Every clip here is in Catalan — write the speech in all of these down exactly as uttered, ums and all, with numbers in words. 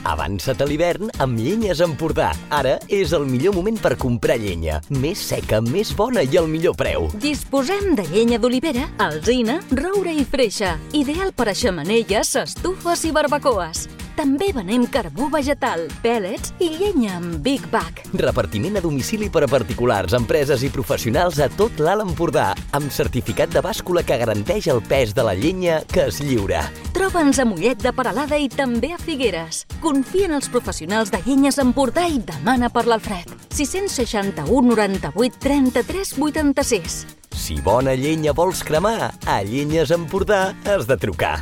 Avança't a l'hivern amb Llenyes Empordà. Ara és el millor moment per comprar llenya. Més seca, més bona i al millor preu. Disposem de llenya d'olivera, alzina, roure i freixa. Ideal per a xemeneies, estufes i barbacoes. També venem carbó vegetal, pèl·lets i llenya amb Big Bag. Repartiment a domicili per a particulars, empreses i professionals a tot l'Alt Empordà, amb certificat de bàscula que garanteix el pes de la llenya que es lliura. Troba'ns a Mollet de Peralada i també a Figueres. Confia en els professionals de Llenyes Empordà i demana per l'Alfred. sis seixanta-u noranta-vuit trenta-tres vuitanta-sis. Si bona llenya vols cremar, a Llenyes Empordà has de trucar.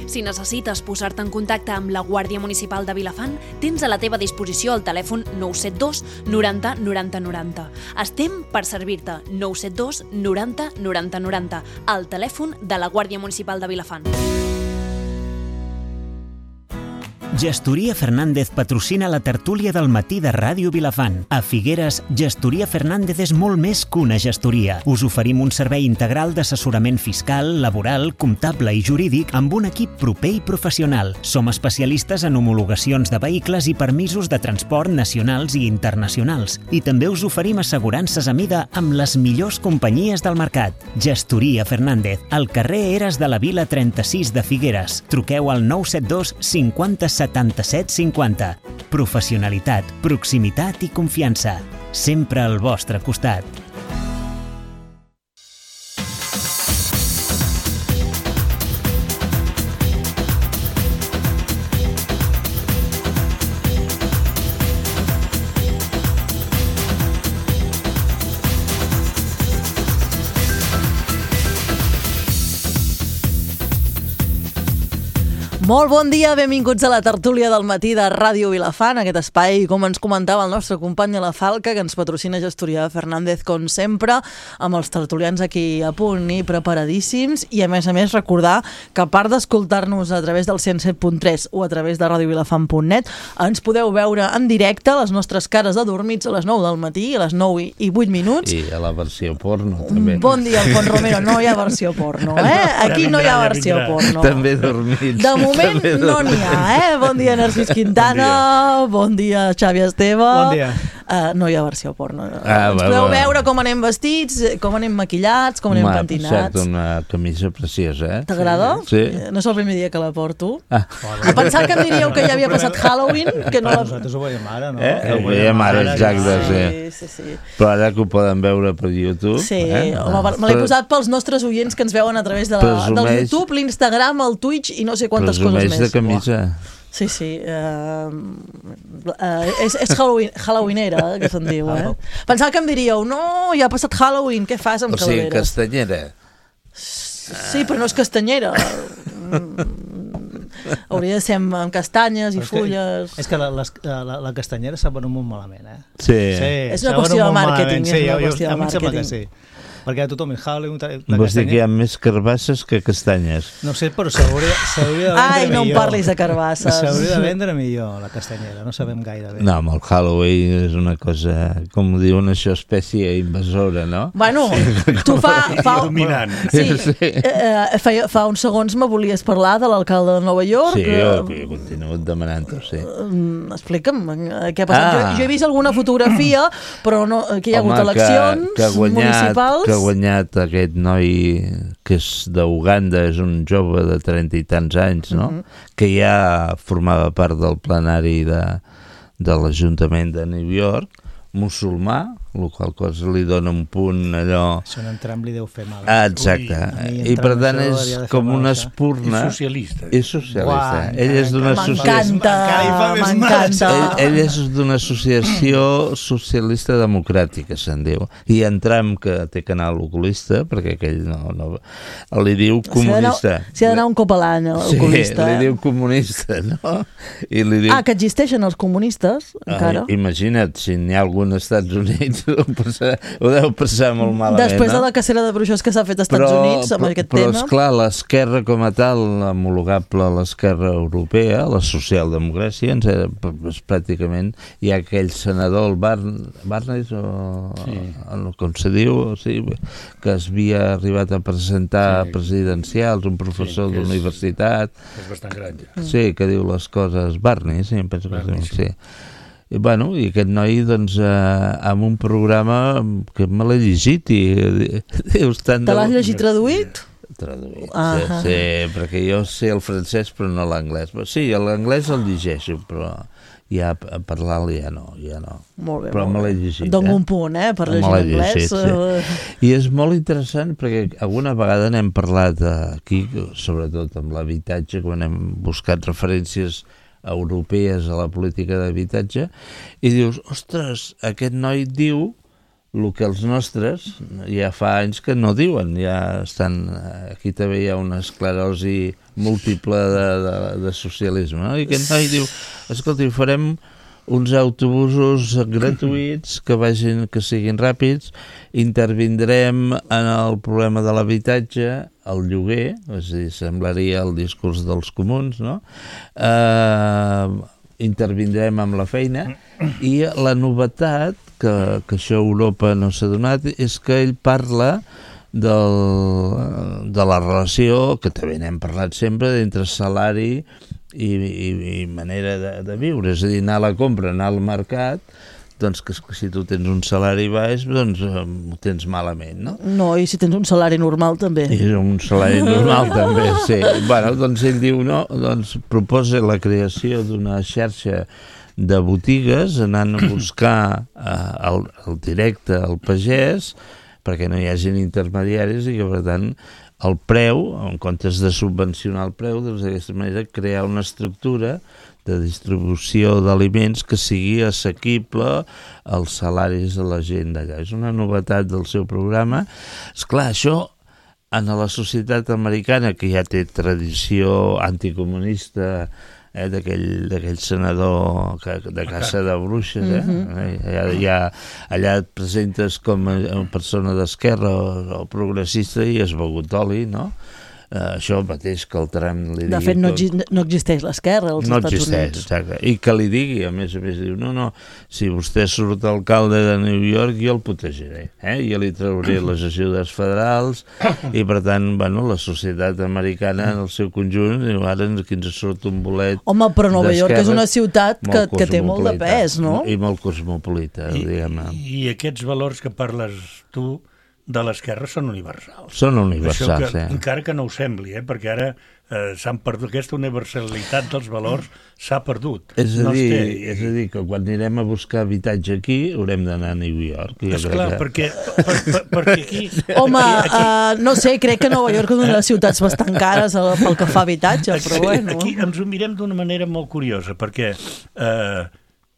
Si necessites posar-te en contacte amb la Guàrdia Municipal de Vilafant, tens a la teva disposició el telèfon nou set dos noranta noranta noranta. Estem per servir-te. nou set dos noranta noranta noranta. El telèfon de la Guàrdia Municipal de Vilafant. Gestoria Fernández patrocina la tertúlia del matí de Ràdio Vilafant. A Figueres, Gestoria Fernández és molt més que una gestoria. Us oferim un servei integral d'assessorament fiscal, laboral, comptable i jurídic amb un equip proper i professional. Som especialistes en homologacions de vehicles i permisos de transport nacionals i internacionals. I també us oferim assegurances a mida amb les millors companyies del mercat. Gestoria Fernández, al carrer Eres de la Vila trenta-sis de Figueres. Truqueu al nou set dos cinquanta setanta-set cinquanta. Professionalitat, proximitat i confiança. Sempre al vostre costat. Molt bon dia, benvinguts a la tertúlia del matí de Ràdio Vilafant, aquest espai, com ens comentava el nostre company a la Falca, que ens patrocina Gestoria Fernández, com sempre, amb els tertulians aquí a punt i preparadíssims, i a més a més recordar que a part d'escoltar-nos a través del cent set punt tres o a través de radio vilafant punt net, ens podeu veure en directe les nostres cares adormits a les nou del matí, a les nou i vuit minuts. I a la versió porno, també. Bon dia, Alfons Romero, no hi ha versió porno, eh? Aquí no hi ha versió porno. També dormits. De moment no n'hi ha, eh? Bon dia, Narcís Quintana, bon dia, Xavi Esteve. Bon dia. Uh, no hi ha versió porno. Ah, Ens va, podeu va. veure com anem vestits, com anem maquillats, com anem M'ha pentinats. passat una camisa preciosa, eh? T'agrada? Sí. No és el primer dia que la porto. Ah. A pensar que em diríeu que ja havia passat Halloween, que no la... Nosaltres ho veiem ara, no? Eh? Ho veiem ara, exacte, sí. Sí, sí, sí. Però ara que ho poden veure per YouTube... Sí, eh? home, me l'he posat pels nostres oients que ens veuen a través de la, del Presumeix- YouTube, l'Instagram, el Twitch i no sé quantes coses Presumeix més. de camisa. Sí, sí. Uh, uh, és és Halloween, Halloweenera, eh, que se'n diu, eh? Pensava que em diríeu, no, ja ha passat Halloween, què fas amb O sigui, calaveres? castanyera. Sí, però no és castanyera. Hauria de ser amb, amb castanyes i Però és que- fulles. És que la, les, la, la castanyera s'ha venut molt malament, eh? Sí. És una s'ha qüestió venut de molt màrqueting, malament. és Sí, una jo- jo- qüestió de a mi em sembla que màrqueting. sí. Perquè tothom el Halloween... La Vols dir que hi castanya... ha més carbasses que castanyes? No sé, però s'hauria s'hauria de vendre Ai, no em millor. parlis de carbasses. S'hauria de vendre millor, la castanyera. No sabem gaire bé. No, amb el Halloween és una cosa, com ho diuen això, espècie invasora, no? Bueno, tu fa... fa dominant. Sí, Sí. eh, fa, fa uns segons me volies parlar de l'alcalde de Nova York. Sí, jo, eh, jo continuo demanant-ho, sí. Mm, explica'm, eh, què ha passat? Ah. Jo, jo he vist alguna fotografia, però no, que hi ha hagut Home, eleccions que, que ha guanyat, municipals. que ha guanyat aquest noi que és d'Uganda, és un jove de trenta i tants anys, no? Mhm. Que ja formava part del plenari de, de l'Ajuntament de New York, musulmà, el qual cosa li dona un punt allò... Això en Trump li deu fer mal. Ah, exacte. Ui, I per Trump tant això és hauria de fer com mal, una això. espurna... És socialista. És socialista. Uau, Ell és d'una associació... M'encanta, Encara hi fa més mal, m'encanta. Ell, ell és d'una associació socialista democràtica, se'n diu. I en Trump, que té canal oculista, perquè aquell no... no li diu comunista. S'hi ha d'anar un cop a l'any, a Sí, l'oculista. li eh? diu comunista, no? I li diu... Ah, que existeixen els comunistes, encara? Ah, imagina't, si n'hi ha algun als Estats Units, ho, passar, ho deu passar molt malament. Després no? de la cacera de bruixes que s'ha fet als Estats però, Units amb però, aquest però, tema... Però, esclar, l'esquerra com a tal, homologable a l'esquerra europea, la socialdemocràcia, ens era, és pràcticament, hi ha aquell senador, el Bar, Barnes, o, sí. el, com se diu, o sigui, que es havia arribat a presentar sí. presidencials, un professor sí, d'universitat... És bastant gran, ja. Sí, que diu les coses... Barnes, sí, em penso que Barney, sí. sí. I, bueno, i aquest noi, doncs, eh, amb un programa que me l'he llegit i dius tant de... Te l'has llegit traduït? Traduït, ah sí, sí, perquè jo sé el francès però no l'anglès. Sí, l'anglès el llegeixo, però ja a parlar-lo ja no, ja no. Molt bé, però molt me l'he bé. llegit. Dono eh? un punt, eh, per llegir l'anglès. Sí. I és molt interessant perquè alguna vegada n'hem parlat aquí, sobretot amb l'habitatge, quan hem buscat referències europees a la política d'habitatge, i dius, ostres, aquest noi diu el que els nostres ja fa anys que no diuen, ja estan... Aquí també hi ha una esclerosi múltiple de, de, de socialisme, no? I aquest noi diu, escolta, farem uns autobusos gratuïts que vagin, que siguin ràpids, intervindrem en el problema de l'habitatge, el lloguer, és a dir, semblaria el discurs dels comuns, no? Eh, intervindrem amb la feina, i la novetat, que, que això a Europa no s'ha donat, és que ell parla del, de la relació, que també n'hem parlat sempre, entre salari i, i, i manera de, de viure, és a dir, anar a la compra, anar al mercat, doncs que si tu tens un salari baix, doncs ho tens malament, no? No, i si tens un salari normal també. I un salari normal també, sí. Bueno, doncs ell diu, no, doncs proposa la creació d'una xarxa de botigues, anant a buscar eh, el, el directe al pagès, perquè no hi hagin intermediaris i que, per tant, el preu, en comptes de subvencionar el preu, doncs d'aquesta manera crear una estructura de distribució d'aliments que sigui assequible als salaris de la gent d'allà. És una novetat del seu programa. Esclar, això en la societat americana, que ja té tradició anticomunista, eh, d'aquell senador que, de caça de bruixes, eh? Mm-hmm. allà, allà, allà et presentes com a persona d'esquerra o, o progressista i has begut oli, no? Uh, això mateix que el Trump li digui... De fet, no, tot... no existeix l'esquerra als no Estats existeix, Units. Exacte. I que li digui, a més a més, diu, no, no, si vostè surt alcalde de New York, jo el protegiré, eh? Jo li trauré les ajudes federals, i per tant, bueno, la societat americana en el seu conjunt, diu, ara aquí ens surt un bolet... Home, però Nova York és una ciutat que, que té molt de pes, no? I molt cosmopolita, I, diguem-ne. I aquests valors que parles tu de l'esquerra són universals. Són universals, que, eh? Encara que no ho sembli, eh? Perquè ara eh, s'han perdut, aquesta universalitat dels valors s'ha perdut. És a, no dir, té... és a dir, que quan anirem a buscar habitatge aquí haurem d'anar a New York. Esclar, que... perquè, per, per, perquè aquí... Home, aquí, aquí... Uh, no sé, crec que Nova York és una de les ciutats bastant cares pel que fa a habitatge, aquí, però bueno... Aquí ens ho mirem d'una manera molt curiosa, perquè eh,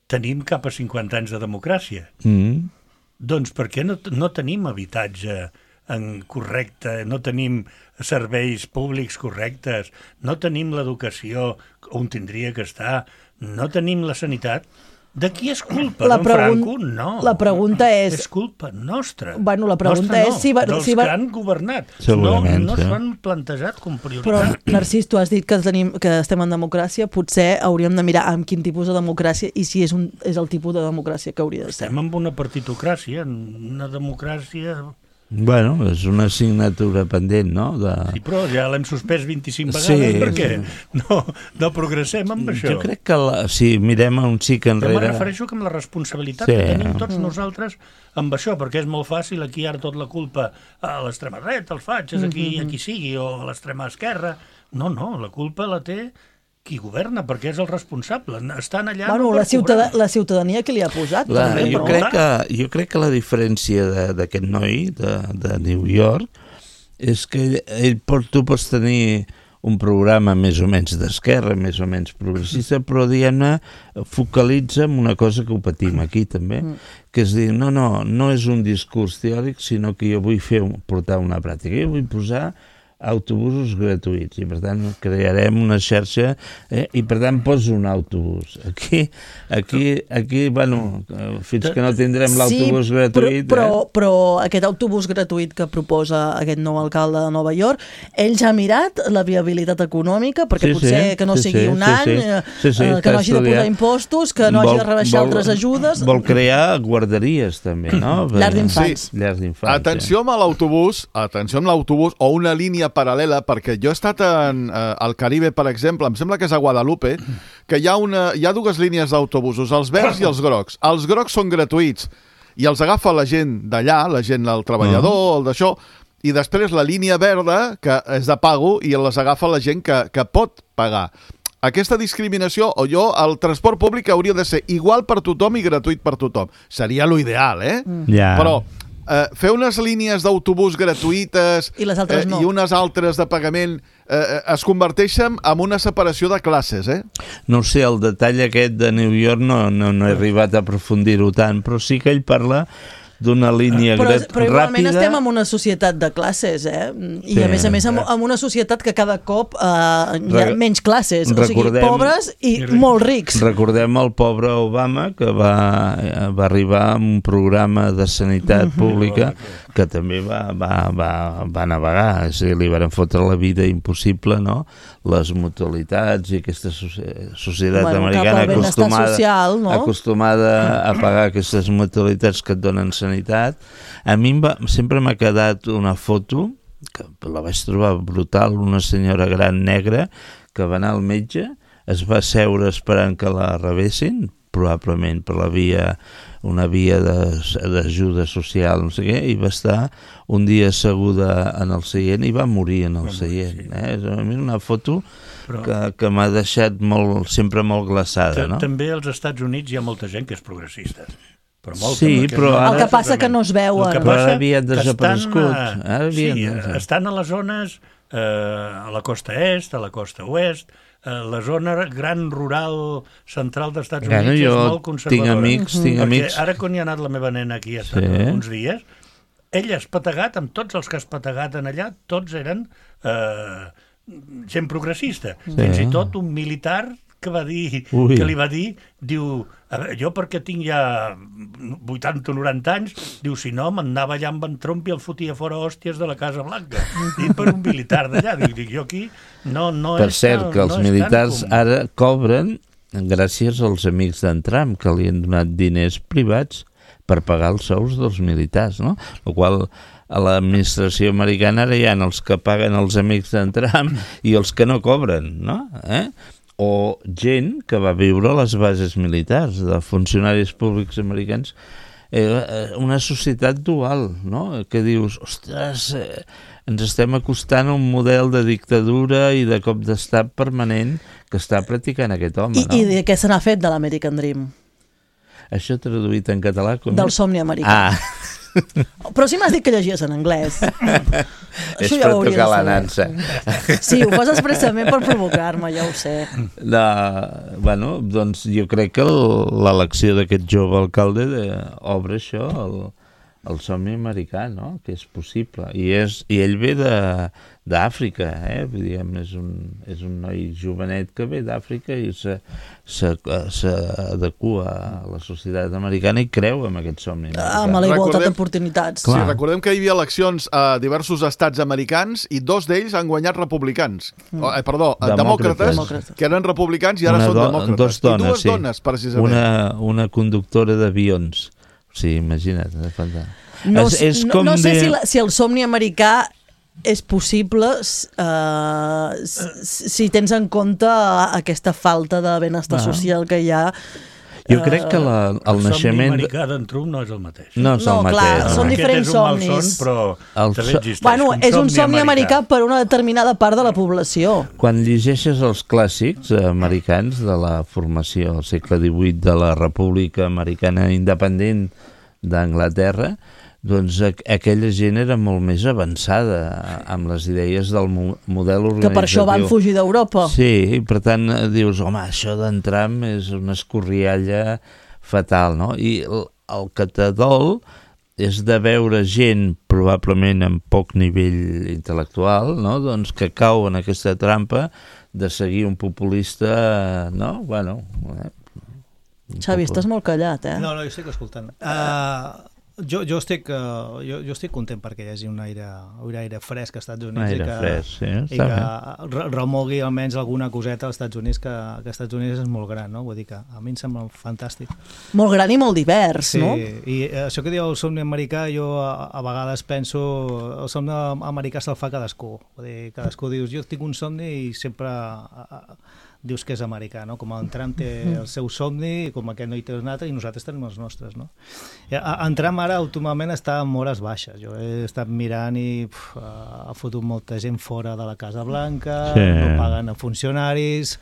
tenim cap a cinquanta anys de democràcia. Mm. Doncs per què no, no tenim habitatge en correcte, no tenim serveis públics correctes, no tenim l'educació on tindria que estar, no tenim la sanitat? De qui és culpa? La D'en pregun... Franco? No. La pregunta és... És culpa nostra. Bueno, la pregunta nostra és no, si... Va... dels si va... que han governat. Segurament, no, no sí. s'ho han plantejat com prioritat. Però, Narcís, tu has dit que, tenim, que estem en democràcia, potser hauríem de mirar amb quin tipus de democràcia i si és, un, és el tipus de democràcia que hauria de ser. Estem en una partitocràcia, en una democràcia... Bueno, és una assignatura pendent, no? De... Sí, però ja l'hem suspès vint-i-cinc vegades, sí, perquè sí. no, no progressem amb això. Jo crec que, la, si mirem un xic enrere... Jo me refereixo amb la responsabilitat sí. que tenim tots nosaltres amb això, perquè és molt fàcil aquí ara tot la culpa a l'extrema dreta, als fatxes, aquí, mm-hmm. aquí sigui, o a l'extrema esquerra. No, no, la culpa la té qui governa, perquè és el responsable. Estan allà... Bueno, no la, ciutad la ciutadania que li ha posat. La, també, jo, però... crec que, jo crec que la diferència d'aquest noi de, de New York és que ell, ell pot, tu pots tenir un programa més o menys d'esquerra, més o menys progressista, però diguem-ne focalitza en una cosa que ho patim aquí també, mm. que és dir, no, no, no és un discurs teòric, sinó que jo vull fer portar una pràctica. Jo vull posar autobusos gratuïts i per tant crearem una xarxa eh, i per tant poso un autobús aquí, aquí, aquí bueno, fins que no tindrem l'autobús sí, gratuït però, però, eh? però aquest autobús gratuït que proposa aquest nou alcalde de Nova York, ell ja ha mirat la viabilitat econòmica, perquè sí, potser sí, que no sí, sigui sí, un sí, any sí. Sí, sí, eh, que no hagi de posar impostos, que no vol, hagi de rebaixar vol, altres ajudes. Vol crear guarderies també, no? Llars d'infants. Sí. Llars d'infants. Atenció amb l'autobús, atenció amb l'autobús o una línia paral·lela, perquè jo he estat en, eh, al Caribe, per exemple, em sembla que és a Guadalupe, que hi ha, una, hi ha dues línies d'autobusos, els verds i els grocs. Els grocs són gratuïts i els agafa la gent d'allà, la gent, el treballador, uh-huh. el d'això, i després la línia verda, que és de pago, i les agafa la gent que, que pot pagar. Aquesta discriminació, o jo, el transport públic hauria de ser igual per tothom i gratuït per tothom. Seria l'ideal, eh? Mm. Yeah. Però eh, fer unes línies d'autobús gratuïtes I les altres eh, no. i unes altres de pagament eh, es converteixen en una separació de classes, eh? No sé, el detall aquest de New York no, no, no he arribat a aprofundir-ho tant, però sí que ell parla d'una línia però, grat... però igualment ràpida. estem en una societat de classes, eh? I Sí. a més a més en, en una societat que cada cop eh, hi ha Re- menys classes, o sigui, recordem- pobres i molt rics. Recordem el pobre Obama, que va, va arribar amb un programa de sanitat pública que també va, va, va, va navegar, és a dir, li van fotre la vida impossible, no? Les mutualitats i aquesta societat Bueno, americana cap al benestar acostumada, social, no? acostumada a pagar aquestes mutualitats que et donen sanitat. A mi em va, sempre m'ha quedat una foto, que la vaig trobar brutal, una senyora gran negra que va anar al metge, es va seure esperant que la rebessin, probablement per la via, una via d'ajuda social, no sé què, i va estar un dia asseguda en el seient i va morir en el seient. Eh? És una foto Però... que, que m'ha deixat molt, sempre molt glaçada, no? També als Estats Units hi ha molta gent que és progressista. Però molta, Sí, però no, ara- El que passa que no es veuen. El que Però passa ara havien que desaparegut. estan, eh, Ara havien sí, desaparegut. estan a les zones, eh, a la costa est, a la costa oest, eh, la zona gran rural central dels Estats Bueno, Units jo és molt conservadora. tinc amics, tinc Perquè amics... ara quan hi ha anat la meva nena aquí, ha estat Sí. uns dies, ella ha espategat, amb tots els que ha espategat en allà, tots eren eh, gent progressista. Sí. Fins i tot un militar que va dir, Ui. que li va dir, diu, a veure, jo perquè tinc ja vuitanta o noranta anys, diu, si no, m'anava allà amb en Trump i el fotia fora hòsties de la Casa Blanca. Dit per un militar d'allà. Dic, dic, jo aquí no, no Per és cert, tan, que els no és militars tan comú. ara cobren gràcies als amics d'en Trump, que li han donat diners privats per pagar els sous dels militars, no? El qual a l'administració americana ara hi ha els que paguen els amics d'en Trump i els que no cobren, no? Eh? O gent que va viure a les bases militars, de funcionaris públics americans, eh, una societat dual, no? Que dius, ostres, eh, ens estem acostant a un model de dictadura i de cop d'estat permanent que està practicant aquest home, I, no? I de què se n'ha fet de l'American Dream? Això traduït en català com Del és? somni americà. Ah, Però si m'has dit que llegies en anglès. és Això per ja ho hauria tocar la de nansa. saber. Sí, ho fas expressament per provocar-me, ja ho sé. De, bueno, doncs jo crec que el- l'elecció d'aquest jove alcalde de, obre això, el, el somni americà, no? Que és possible. I, és, i ell ve de d'Àfrica, eh? Diguem, és, un, és un noi jovenet que ve d'Àfrica i s'adequa a la societat americana i creu en aquest somni americà. Amb la igualtat Recordem- d'oportunitats. Sí, Clar. recordem que hi havia eleccions a diversos estats americans i dos d'ells han guanyat republicans. Mm. Oh, eh, perdó, eh, Demòcrates. demòcrates, que eren republicans i ara Una són do- demòcrates. dos dones, I dues sí. dones, precisament. Una, una conductora d'avions. Sí, imagina't. eh, fantàstic. No, És- és no, com no sé de- si, la, si el somni americà és possible uh, si, si tens en compte aquesta falta de benestar Ah. social que hi ha. Jo crec que la, el, El somni naixement... americà d'en Trump no és el mateix. No és No, el clar, mateix. són no? diferents Aquest és un somnis. malson, però El també so- existeix. Bueno, un és un somni americà per una determinada part de la població. Quan llegeixes els clàssics americans de la formació al segle divuit de la República Americana Independent d'Anglaterra, doncs aqu aquella gent era molt més avançada amb les idees del mo model organitzatiu. Que per això van fugir d'Europa. Sí, i per tant eh, dius, home, això d'entram és una escorrialla fatal, no? I el, el que t'adol és de veure gent probablement amb poc nivell intel·lectual, no? Doncs que cau en aquesta trampa de seguir un populista, no? Bueno... Eh, Xavi, estàs molt callat, eh? No, no, jo estic escoltant. Uh, jo, jo, estic, uh, jo, jo estic content perquè hi hagi un aire, un aire fresc als Estats Units aire i que, fresc, sí, i que remogui almenys alguna coseta als Estats Units, que, que als Estats Units és molt gran, no? Vull dir que a mi em sembla fantàstic. Molt gran i molt divers, sí, no? Sí, i això que diu el somni americà, jo a, a vegades penso, el somni americà se'l fa cadascú. Vull dir, cadascú dius, jo tinc un somni i sempre... A, a, dius que és americà, no? Com en Trump té el seu somni, com aquest noi té un altre, i nosaltres tenim els nostres, no? En Trump ara últimament està en hores baixes. Jo he estat mirant i uf, ha fotut molta gent fora de la Casa Blanca, sí. No paguen a funcionaris,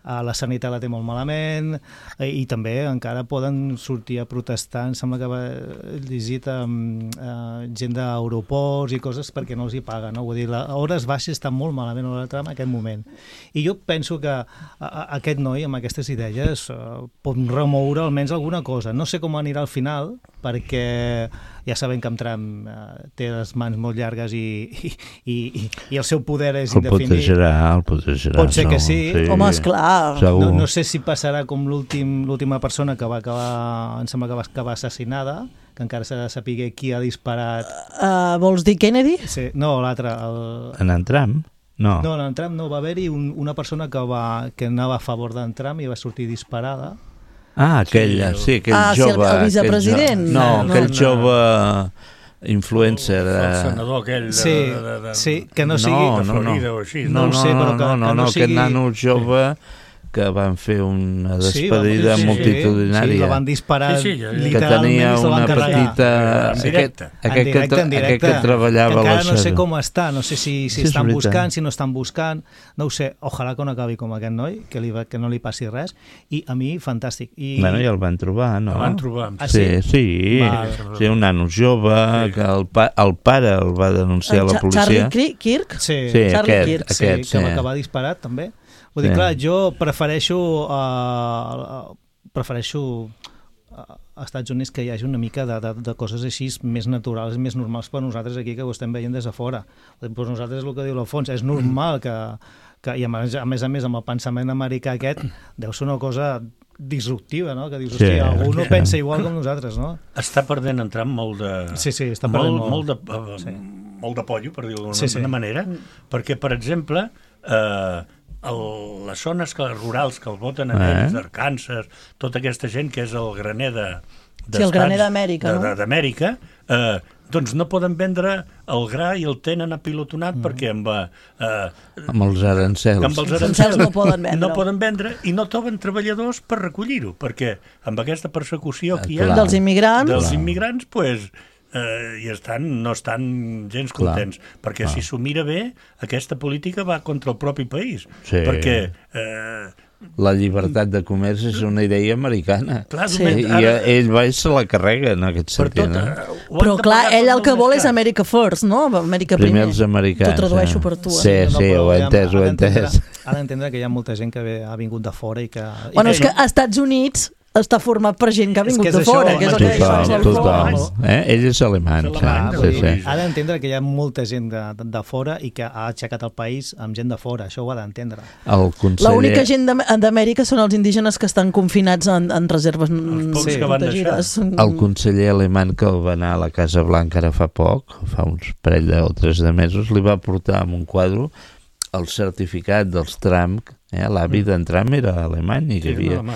la sanitat la té molt malament, i també encara poden sortir a protestar. Em sembla que va llegit um, uh, gent d'aeroports i coses perquè no els hi paguen, no? Vull dir, a hores baixes està molt malament a en aquest moment. I jo penso que a, a, aquest noi amb aquestes idees uh, pot remoure almenys alguna cosa. No sé com anirà al final, perquè ja sabem que en Trump uh, té les mans molt llargues i, i, i, i el seu poder és indefinit. El protegerà, el protegerà. Pot ser que sí. sí. Home, esclar. No, no sé si passarà com l'última persona que va acabar, em sembla que va acabar assassinada, que encara s'ha de saber qui ha disparat. Uh, vols dir Kennedy? Sí, no, l'altre. El... En en Trump? No. No, en Trump no, va haver-hi un, una persona que, va, que anava a favor d'en Trump i va sortir disparada. Ah, aquell, sí, sí aquell ah, jove... Sí, el, el vicepresident? Jo... No, no, aquell no, jove... influencer... El, el senador aquell... De, sí, de, de, de, sí, que no sigui... No, no, no, o així, no, no, no, sé, però que, no, no, que no, no sigui... aquest nano jove... Sí. Que van fer una despedida sí, sí, multitudinària. Sí, la van disparar sí, sí, literalment que tenia i se la van una petita... En directe. Aquest, aquest, directe, que, aquest que treballava... Que encara la no sé com està, no sé si, si sí, estan buscant, si no estan buscant, no ho sé, ojalà que no acabi com aquest noi, que, li, que no li passi res, i a mi, fantàstic. I... Bueno, ja el van trobar, no? El van trobar. Ah, sí, sí, sí, sí, un nano jove, sí. Que el, pa, el pare el va denunciar a la policia. Charlie Kirk? Sí, sí Charlie aquest, Kirk, aquest, sí, sí. que va acabar disparat, també. Vull dir, sí. Clar, jo prefereixo uh, prefereixo uh, als Estats Units que hi hagi una mica de, de, de coses així més naturals, més normals per nosaltres aquí, que ho estem veient des de fora. Per nosaltres és el que diu l'Alfons, és normal que, que i a més, a més a més amb el pensament americà aquest, deu ser una cosa disruptiva, no? Que dius, hòstia, sí, algú no sí. pensa igual com nosaltres, no? Està perdent entrant molt de... Sí, sí, està perdent molt. Molt, molt, de, uh, sí. molt de pollo, per dir-ho d'una sí, sí. manera, perquè, per exemple... Eh, el, les zones que, rurals que el voten a ells, eh? d'Arkansas, tota aquesta gent que és el graner de, sí, el graner d'Amèrica, de, no? d'Amèrica, eh, doncs no poden vendre el gra i el tenen apilotonat mm. perquè amb, eh, amb els arancels. Amb els arancels no poden vendre. No poden vendre i no troben treballadors per recollir-ho, perquè amb aquesta persecució que hi ha... Dels immigrants. Dels immigrants, doncs... Pues, Uh, i estan, no estan gens contents, clar, perquè clar. Si s'ho mira bé, aquesta política va contra el propi país, sí. perquè uh, la llibertat de comerç és una idea americana, clar, sí. I ara... ell va i se la carrega en aquest sentit, tot, no? uh, però clar, ell el que vol és America First, no? Amèrica primer. Primer els americans. T'ho tradueixo per tu. Sí, eh? sí, ho he entès, ho he entès. Ha d'entendre que hi ha molta gent que ha vingut de fora i que... Bueno, I és que als Estats Units està format per gent que ha vingut que de això, fora, que és el que total, total. Eh? Ell és alemany. Clar, sí, sí. Ha d'entendre que hi ha molta gent de, de fora i que ha aixecat el país amb gent de fora, això ho ha d'entendre. Conseller... L'única gent d'Amèrica són els indígenes que estan confinats en, en reserves sí. protegides. El conseller alemany que va anar a la Casa Blanca ara fa poc, fa uns parell de, o tres de mesos, li va portar amb un quadre el certificat dels Trump, eh? L'avi d'en Trump era alemany i que sí, havia... No,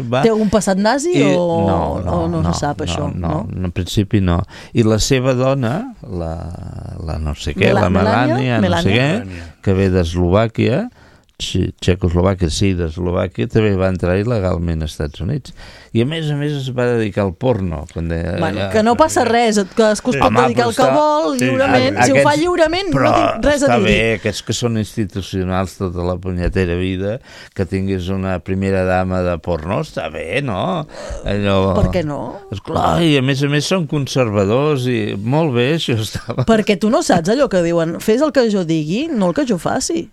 va... Té algun passat nazi I... o... No, no, o no, no se sap no, això? No, no, en principi no. I la seva dona, la, la no sé què, Mel la Melania, no sé què, que ve d'Eslovàquia, Txecoslovàquia, sí, d'Eslovàquia, també va entrar il·legalment als Estats Units. I a més a més es va dedicar al porno. Quan de, bueno, ja, que no passa res, que es pot home, dedicar al que vol, lliurement. Sí, si aquests, ho fa lliurement, no tinc res a dir. Però està bé, aquests que són institucionals tota la punyetera vida, que tinguis una primera dama de porno, està bé, no? Allò... Per què no? Esclar, i a més a més són conservadors i molt bé, això estava... Perquè tu no saps allò que diuen, fes el que jo digui, no el que jo faci.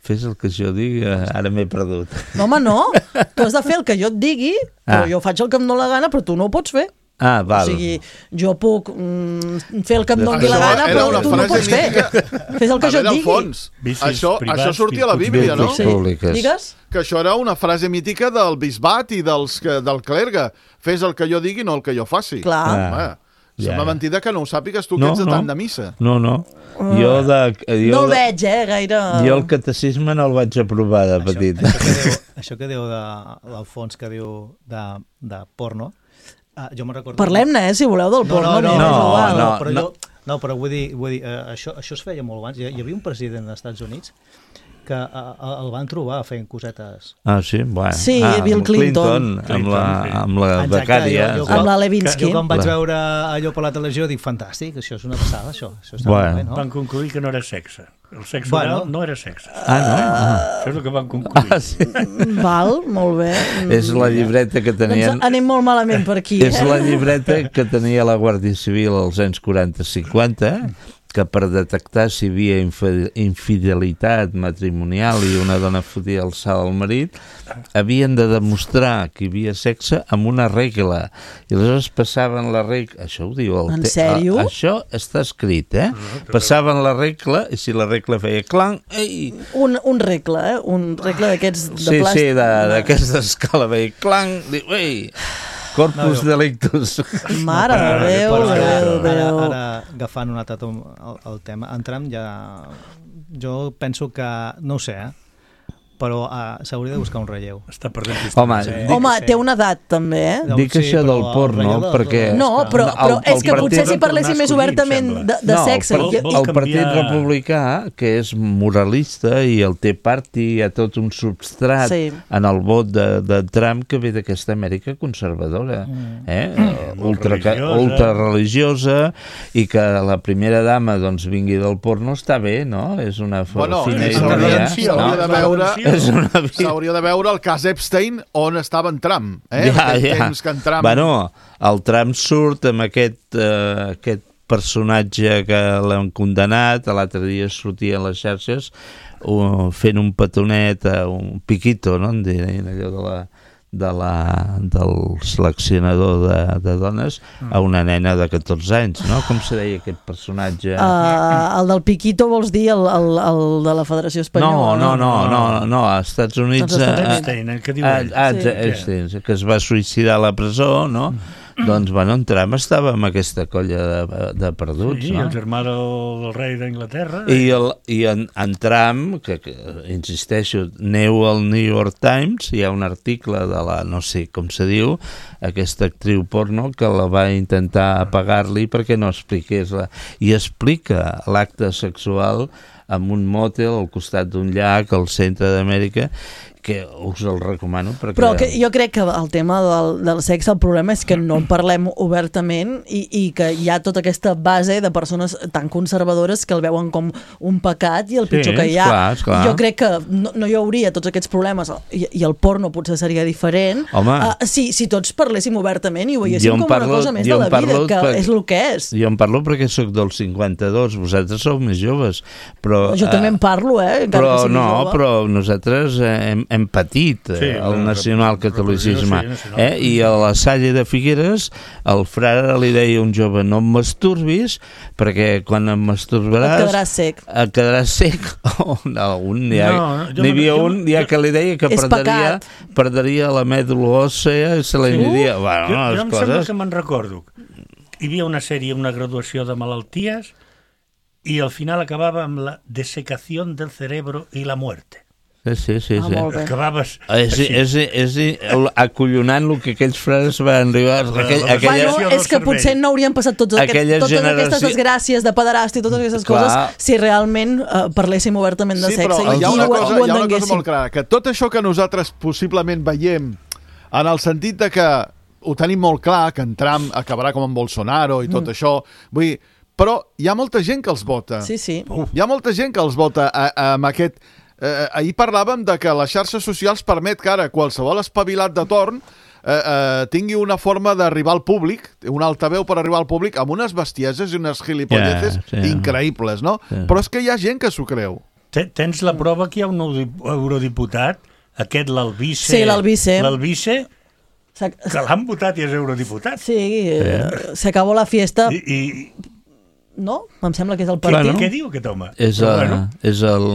Fes el que jo digui, ara m'he perdut. No, home, no. Tu has de fer el que jo et digui, però ah. jo faig el que em dóna la gana, però tu no ho pots fer. Ah, val. O sigui, jo puc mm, fer el que em doni Això la gana, era però una tu no frase pots fer. mítica. Fes el que A jo et veure, digui. Alfons, Vicis això, privats, això sortia a la Bíblia, no? virtuts públiques. Digues? Que això era una frase mítica del bisbat i dels, que- del clergue. Fes el que jo digui, no el que jo faci. Clar. Ah. Home, Ja, sembla ja. mentida que no ho sàpigues tu, que No, ets de no. tant de missa. No, no. Jo, de, jo, No el veig, eh, gaire... jo el catecisme no el vaig aprovar de petit. Això, això, que diu, això que diu de l'Alfons, que diu de, de porno, uh, jo me'n recordo... Parlem-ne, eh, si voleu, del No, porno. no, no, m'és no, igual. no. però jo, no, però vull dir, vull dir uh, això, això es feia molt abans. Hi, hi havia un president dels Estats Units que uh, el van trobar fent cosetes. Ah, sí? Bueno. Sí, ah, Bill amb Clinton. amb la, amb la Exacte, becària. jo- jo- sí. Amb la Que, Levinsky. jo quan vaig Clar. veure allò per la televisió dic, fantàstic, això és una passada, això. això està Bueno. molt bé, no? Van concluir que no era sexe. El sexe Bueno. oral no era sexe. Ah, no? Ah. Això és el que van concluir. Ah, sí. Val, molt bé. És la llibreta que tenien... Doncs anem molt malament per aquí, És eh? la llibreta que tenia la Guàrdia Civil als anys quaranta cinquanta, que per detectar si hi havia infi- infidelitat matrimonial i una dona fotia el salt al marit, havien de demostrar que hi havia sexe amb una regla. I aleshores passaven la regla... Això ho diu el En te- sèrio? A, això està escrit, eh? Passaven la regla i si la regla feia clang... Ei! Un, un regle, eh? Un regle d'aquests de Sí, plàstic. sí, de- d'aquesta escala veia clang... Diu, ei! Corpus No, jo- delictus. Mare de Déu, Però ara, Déu, ara, Déu. ara, agafant un altre tom, el, el tema, entram ja... Jo penso que, no ho sé, eh? però uh, s'hauria de buscar un relleu. Està perdent Home, Sí. dic, Home, sí. té una edat, també, eh? No, dic sí, això però del el porno, relleu de- perquè... No, però, el- però, però el és que partit- potser si van parléssim tornar més a escollir, obertament em de, sembla. de no, sexe... el, i- vol- el Partit canviar- Republicà, que és moralista i el Tea Party, hi ha tot un substrat Sí. en el vot de, de Trump que ve d'aquesta Amèrica conservadora, eh? Mm. ultra, religiosa. ultra religiosa, i que la primera dama doncs, vingui del porno està bé, no? És una Bueno, fina és s'hauria una ironia. redempció, s'hauria no? de veure... És una vida. S'hauria de veure el cas Epstein on estava en Trump. Eh? Ja, Aquell ja. temps que en Trump... Bueno, el Trump surt amb aquest, eh, aquest personatge que l'han condemnat, l'altre dia sortia a les xarxes uh, fent un petonet, uh, un piquito, no? En dirien allò de la de la, del seleccionador de, de dones a una nena de catorze anys, no? Com se deia aquest personatge? Uh, el del Piquito vols dir el, el, el de la Federació no, Espanyola? no, no, no, no, als Estats Units... Als Estats eh, Units. Epstein, eh, què diu Ah, ell? ah, Sí. Epstein, que es va suïcidar a la presó, no? Doncs, bueno, en Trump estava amb aquesta colla de, de perduts, Sí, no? el germà del, del rei d'Anglaterra. I, el, i en, en Trump, que, que insisteixo, neu al New York Times, hi ha un article de la, no sé com se diu, aquesta actriu porno que la va intentar apagar-li perquè no expliqués la... I explica l'acte sexual en un motel al costat d'un llac al centre d'Amèrica, que us el recomano perquè... Però que jo crec que el tema del, del sexe, el problema és que no en parlem obertament i, i que hi ha tota aquesta base de persones tan conservadores que el veuen com un pecat i el Sí, pitjor que hi ha. esclar, esclar. Jo crec que no, no hi hauria tots aquests problemes i, i el porno potser seria diferent Home. uh, si, si tots parléssim obertament i ho veiéssim Jo en com parlo- una cosa més jo de en la vida, parlo que per- és el que és. Jo en parlo perquè sóc del cinquanta-dos, vosaltres sou més joves, però... Jo també en parlo, eh? Encara Però que sigui no, jove. però nosaltres eh, hem, hem patit Sí, eh, el la- nacionalcatolicisme. la- sí, nacional. Eh? I a la Salle de Figueres el frare li deia a un jove no em masturbis perquè quan em masturbaràs Et quedaràs sec. et quedaràs sec. Oh, no, un, ja, No, jo n'hi no- havia jo- un ja que li deia que És perdria, pecat. perdria la mèdula òssea i se li aniria. Bueno, jo, no, jo les em sembla coses... que me'n recordo. Hi havia una sèrie, una graduació de malalties i al final acabava amb la desecació del cerebro i la muerte. Sí, sí, sí. Ah, sí. molt bé. Acabaves És, així. és, és, és acollonant el que aquells frares van arribar. Aquell, la- aquella, Bueno, del és que cervell. potser no haurien passat tots aquest, Aquella totes generació- aquestes desgràcies de pederàstia i totes aquestes Clar. coses si realment uh, parléssim obertament de Sí, sexe però i, hi ha i una ho, cosa, ho hi ha una cosa entenguéssim. molt clara, que tot això que nosaltres possiblement veiem en el sentit de que ho tenim molt clar, que en Trump acabarà com en Bolsonaro i tot mm. això, vull dir, però hi ha molta gent que els vota. Sí, sí. Hi ha molta gent que els vota a, a, amb aquest... Eh, ahir parlàvem de que les xarxes socials permet que ara qualsevol espavilat de torn eh, eh, tingui una forma d'arribar al públic, un altaveu per arribar al públic, amb unes bestieses i unes gilipolletes Ja, sí. increïbles, no? Sí. Però és que hi ha gent que s'ho creu. Te- Tens la prova que hi ha un eudip- eurodiputat, aquest l'Albice... Sí, l'Albice. L'Albice que l'han votat i és eurodiputat. Sí, eh, se acabó la fiesta. I, i... No? Em sembla que és el partit. Bueno, què diu aquest home? És, a, bueno. és el...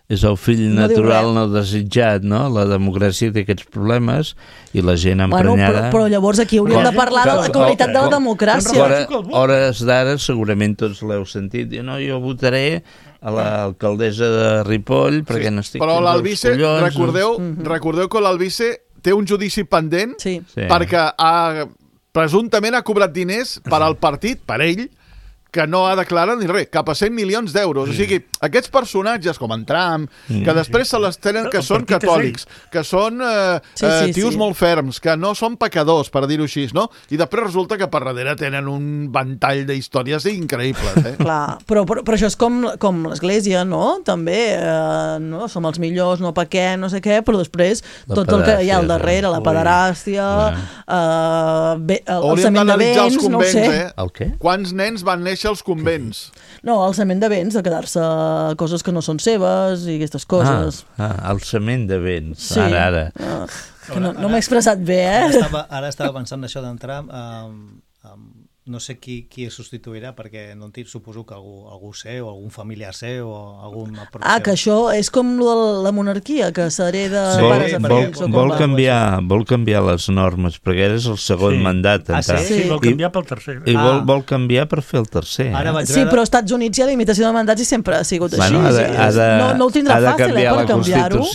És el fill no natural no desitjat, no? La democràcia té aquests problemes i la gent emprenyada... Bueno, però, però llavors aquí hauríem de parlar de la qualitat de la democràcia. Hora, hores d'ara segurament tots l'heu sentit. No, jo votaré a l'alcaldessa de Ripoll perquè no estic... Però l'Albice, recordeu, recordeu que l'Albice té un judici pendent sí. perquè ha, presumptament ha cobrat diners per al partit, per ell, que no ha declarat ni res, cap a cent milions d'euros. Mm. O sigui, aquests personatges com en Trump, mm. que després se les tenen que són catòlics, que són eh, sí, sí, eh, tios sí. molt ferms, que no són pecadors, per dir-ho així, no? I després resulta que per darrere tenen un ventall d'històries increïbles. Eh? Clar, però, però, però això és com, com l'Església, no? També, eh, no? Som els millors, no pequem, no sé què, però després la tot el que hi ha al darrere, la pederàstia, eh, bé, el, el cement de béns, no ho sé. Eh? El què? Quants nens van néixer als convents? No, el cement de béns, de quedar-se coses que no són seves i aquestes coses. Ah, ah el cement de béns, sí. ara, ara. Ah, que no, no m'he expressat bé, eh? Ara estava, ara estava pensant això d'entrar um, um, no sé qui, qui es substituirà, perquè no entenc, suposo que algú, algú sé, o algun familiar sé, o algun... Ah, que això és com la monarquia, que s'hereda sí, pares a vol, fills. Vol, canviar, vol canviar les normes, perquè ara és el segon sí. mandat. Ah, sí? sí? Vol canviar pel tercer. I ah. vol, vol canviar per fer el tercer. Ara eh? Sí, però als Estats Units hi ha limitació de mandats i sempre ha sigut així. Bueno, ha de, ha de, no, no ho tindrà ha de fàcil, eh, per canviar-ho.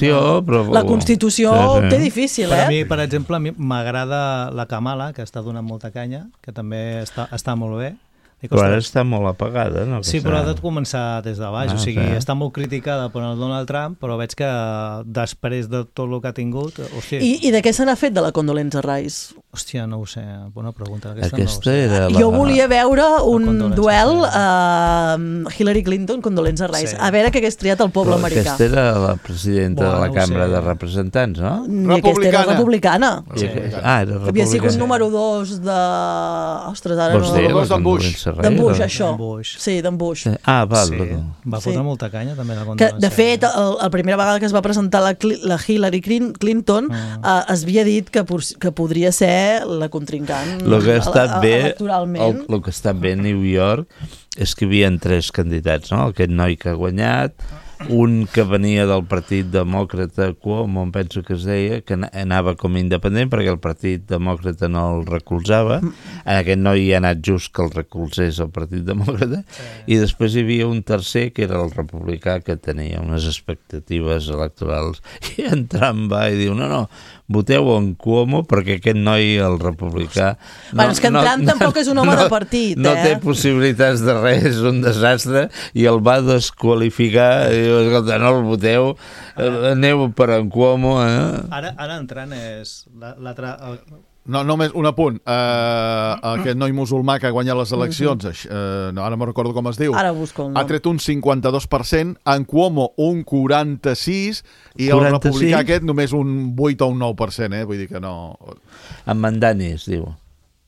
Però... La Constitució sí, sí. té difícil, eh? Per a mi, per exemple, m'agrada la Kamala, que està donant molta canya, que també està, està molt bé. Però ara està molt apagada, no? Sí, però ha de començar des de baix. Ah, o sigui, sí. està molt criticada per el Donald Trump, però veig que després de tot el que ha tingut... Hòstia, I, I de què se n'ha fet de la Condolenza Rice? Hòstia, no ho sé. Bona pregunta. Aquesta, Aquesta no ho sé. era la... Jo volia veure un duel a uh, Hillary Clinton, Condolenza Rice. Sí. A veure què hagués triat el poble però americà. Aquesta era la presidenta bueno, de la Cambra de Representants, no? I aquesta era republicana. Sí. Ah, era republicana. Havia sigut número dos de... Ostres, ara Vols no... dir, dos d'en Bush. D'en Bush, això. Bush. Sí, d'en Bush. Ah, val. Sí. Va fotre sí. molta canya, també. La que, de fet, el, la primera vegada que es va presentar la, la Hillary Clinton mm. eh, es havia dit que, que podria ser la contrincant lo que ha estat bé, electoralment. El, el que ha estat bé a New York és que hi havia tres candidats, no? Aquest noi que ha guanyat, un que venia del Partit Demòcrata, Cuomo, em penso que es deia, que anava com a independent perquè el Partit Demòcrata no el recolzava. Aquest noi hi ha anat just que el recolzés el Partit Demòcrata. Sí. I després hi havia un tercer, que era el republicà, que tenia unes expectatives electorals. I en Trump va i diu, no, no, voteu en Cuomo perquè aquest noi, el republicà... No, bueno, és que en Trump no, tampoc és un home no, de partit, no eh? No té possibilitats de res, és un desastre, i el va desqualificar, i diu, escolta, no el voteu, aneu per en Cuomo, eh? Ara, ara entrant és... l'altre... No, només un apunt. Uh, aquest noi musulmà que ha guanyat les eleccions, uh, no, ara no recordo com es diu, ara busco el nom. Ha tret un cinquanta-dos per cent, en Cuomo un quaranta-sis per cent i el republicà aquest només un vuit o un nou per cent, eh? Vull dir que no... En Mandani es diu.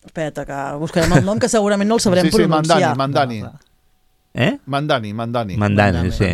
Espera, que buscarem el nom, que segurament no el sabrem sí, sí, pronunciar. Mandani, Mandani. Eh? Mandani, Mandani. Mandani, sí.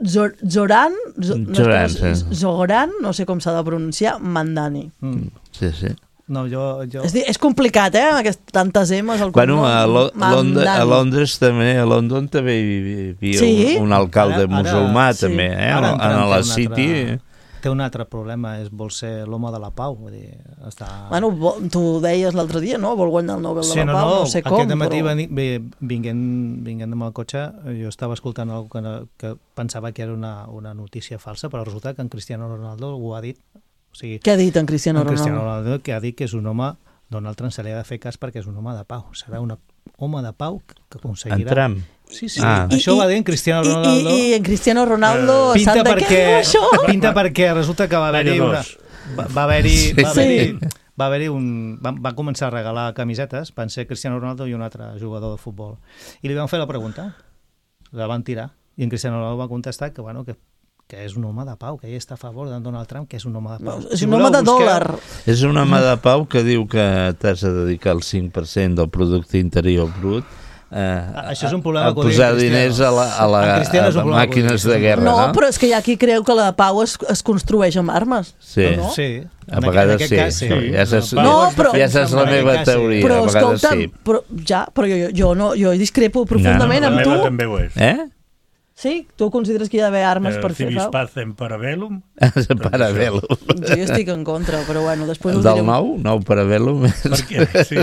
Zoran, Zoran, sí. Zoran, no sé com s'ha de pronunciar, Mandani. Mm. Sí, sí. No, jo, jo... És, és complicat, eh, amb aquestes tantes emes al bueno, a, Lo Londres, a Londres també, a London també hi havia sí? un, un alcalde ara, ara, musulmà sí. també, eh? Ara a la City... Altre... Té un altre problema, és vol ser l'home de la pau. Vull dir, està... Bueno, tu deies l'altre dia, no? Vol guanyar el Nobel sí, de la no, Pau, no, no sé com. Aquest matí però... vinguent, vinguent amb el cotxe, jo estava escoltant algú que, que pensava que era una, una notícia falsa, però resulta que en Cristiano Ronaldo ho ha dit. O sigui, què ha dit en Cristiano Ronaldo? En Cristiano Ronaldo que ha dit que és un home, Donald Trump se li ha de fer cas perquè és un home de pau. Serà un home de pau que aconseguirà... En Trump? Sí, sí. Ah. Això I, ho va dir en Cristiano Ronaldo. I, i, i en Cristiano Ronaldo uh, pinta sap de perquè, què diu això? Pinta perquè resulta que va haver-hi una... Va, va haver-hi... Sí. Va haver-hi va haver-hi un... Va, va començar a regalar camisetes, van ser Cristiano Ronaldo i un altre jugador de futbol. I li van fer la pregunta, la van tirar, i en Cristiano Ronaldo va contestar que, bueno, que que és un home de pau, que ell està a favor de Donald Trump, que és un home de pau. No, és si un home de busqueu... dòlar. És un home de pau que diu que t'has de dedicar el cinc per cent del producte interior brut eh, Això és un problema a posar diners a, la, a, la, a, a màquines de guerra, no? No, però és que hi ha qui creu que la pau es, es construeix amb armes. Sí, no? Sí. A vegades sí, cas, sí. sí. Ja saps, no, però, ja saps la meva teoria. Però, a vegades escolta'm, sí. però, ja, però jo, jo, no, jo discrepo profundament no, amb tu. La també ho és. Eh? Sí? Tu consideres que hi ha d'haver armes Eh, per fer civis pau? pacem parabellum. Parabellum. Jo estic en contra, però bueno, després ho Del direm. nou? Nou parabellum? Perquè, sí,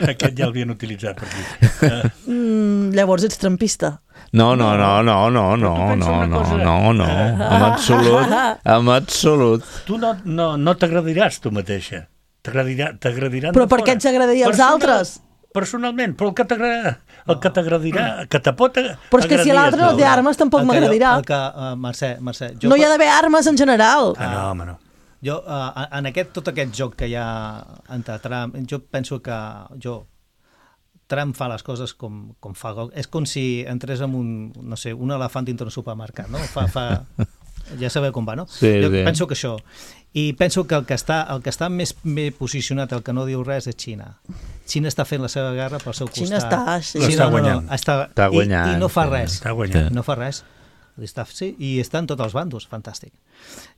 aquest ja l'havien utilitzat per aquí. Uh, Mm, llavors ets trampista. No, no, no, no, no, no, no, no, no, no, en absolut, en absolut. Tu no, no, no t'agradiràs tu mateixa. T'agradirà, t'agradiran Però de per fora. què ens agradaria als Personal- altres? Personalment, però el que t'agradarà, el que t'agradirà, que te pot agradar... Però és que si l'altre no té armes tampoc El que- m'agradirà. el que, uh, Mercè, Mercè, jo No hi ha d'haver armes en general. Ah, no, home, no. Jo, uh, en aquest, tot aquest joc que hi ha entre Trump, jo penso que jo, Trump fa les coses com, com fa. És com si entrés en un, no sé, un elefant dintre un supermercat, no? Fa, fa, ja sabeu com va, no? Sí, jo sí. penso que això. I penso que el que està, el que està més bé posicionat, el que no diu res, és Xina. Xina està fent la seva guerra pel seu costat. Xina està, sí. L'està guanyant. està, Està guanyant, I, I no fa sí. res. Està guanyant. No fa res. Està, sí, i està en tots els bandos, fantàstic.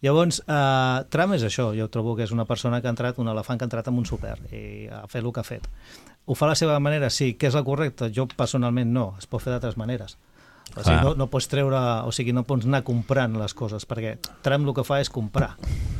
Llavors, eh, Trump és això, jo trobo que és una persona que ha entrat, un elefant que ha entrat en un súper i ha fet el que ha fet. Ho fa a la seva manera, sí, que és la correcta? Jo personalment no, es pot fer d'altres maneres. O sigui, no, no pots treure, o sigui, no pots anar comprant les coses, perquè Trump el que fa és comprar.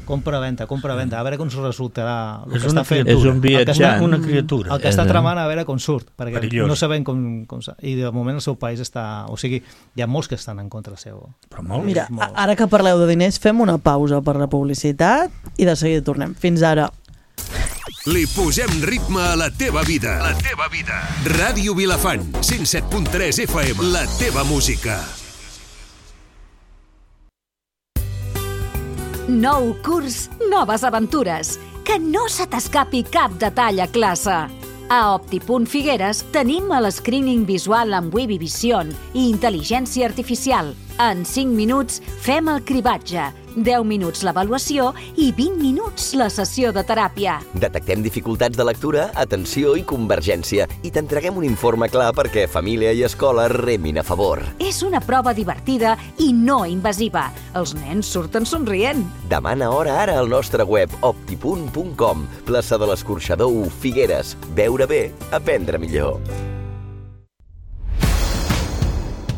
Compra-venda, compra-venda, a veure com resultarà el És que una està fent. És un El que està, viatjant. Una criatura. el que està tramant, a veure com surt, perquè Perillós. no sabem com, com... I de moment el seu país està... O sigui, hi ha molts que estan en contra seu. Però molt. Mira, molts. ara que parleu de diners, fem una pausa per la publicitat i de seguida tornem. Fins ara. Li posem ritme a la teva vida. La teva vida. Ràdio Vilafant, cent set punt tres F M. La teva música. Nou curs, noves aventures. Que no se t'escapi cap detall a classe. A Optipunt Figueres tenim el screening visual amb Webby Vision i intel·ligència artificial. En cinc minuts fem el cribatge, deu minuts l'avaluació i vint minuts la sessió de teràpia. Detectem dificultats de lectura, atenció i convergència i t'entreguem un informe clar perquè família i escola remin a favor. És una prova divertida i no invasiva. Els nens surten somrient. Demana hora ara al nostre web optipunt punt com, plaça de l'Escorxador u, Figueres. Veure bé, aprendre millor.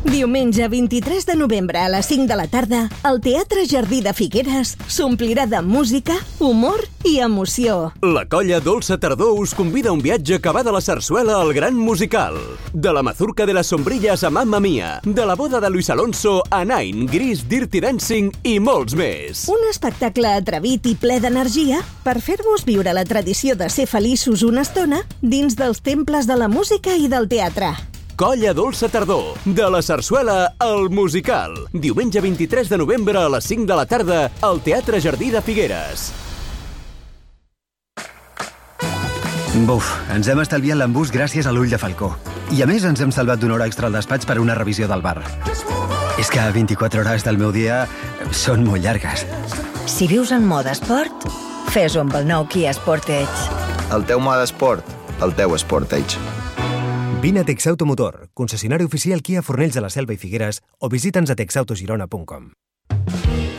Diumenge vint-i-tres de novembre a les cinc de la tarda, el Teatre Jardí de Figueres s'omplirà de música, humor i emoció. La colla Dolça Tardor us convida a un viatge que va de la sarsuela al gran musical. De la mazurca de las sombrillas a Mamma Mia, de la boda de Luis Alonso a Nine, Gris, Dirty Dancing i molts més. Un espectacle atrevit i ple d'energia per fer-vos viure la tradició de ser feliços una estona dins dels temples de la música i del teatre. Colla Dolça Tardor, de la sarsuela al musical. Diumenge vint-i-tres de novembre a les cinc de la tarda al Teatre Jardí de Figueres. Buf, ens hem estalviat l'embús gràcies a l'ull de falcó. I a més ens hem salvat d'una hora extra al despatx per una revisió del bar. És que vint-i-quatre hores del meu dia són molt llargues. Si vius en mode esport, fes-ho amb el nou Kia Sportage. El teu mode esport, el teu Sportage. Vine a Texautomotor, concessionari oficial Kia Fornells de la Selva i Figueres, o visita'ns a texautogirona punt com.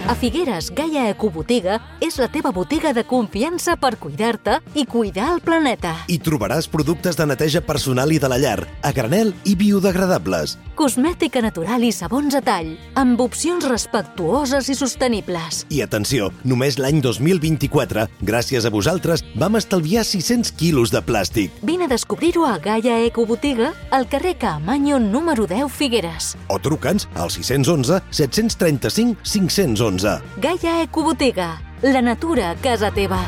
A Figueres, Gaia Ecobotiga és la teva botiga de confiança per cuidar-te i cuidar el planeta. Hi trobaràs productes de neteja personal i de la llar, a granel i biodegradables. Cosmètica natural i sabons a tall, amb opcions respectuoses i sostenibles. I atenció, només l'any dos mil vint-i-quatre, gràcies a vosaltres, vam estalviar sis-cents quilos de plàstic. Vine a descobrir-ho a Gaia Ecobotiga, al carrer Caamaño número deu, Figueres. O truca'ns al sis u u, set tres cinc, cinc u u. Gaia Ecobotiga, la natura a casa teva.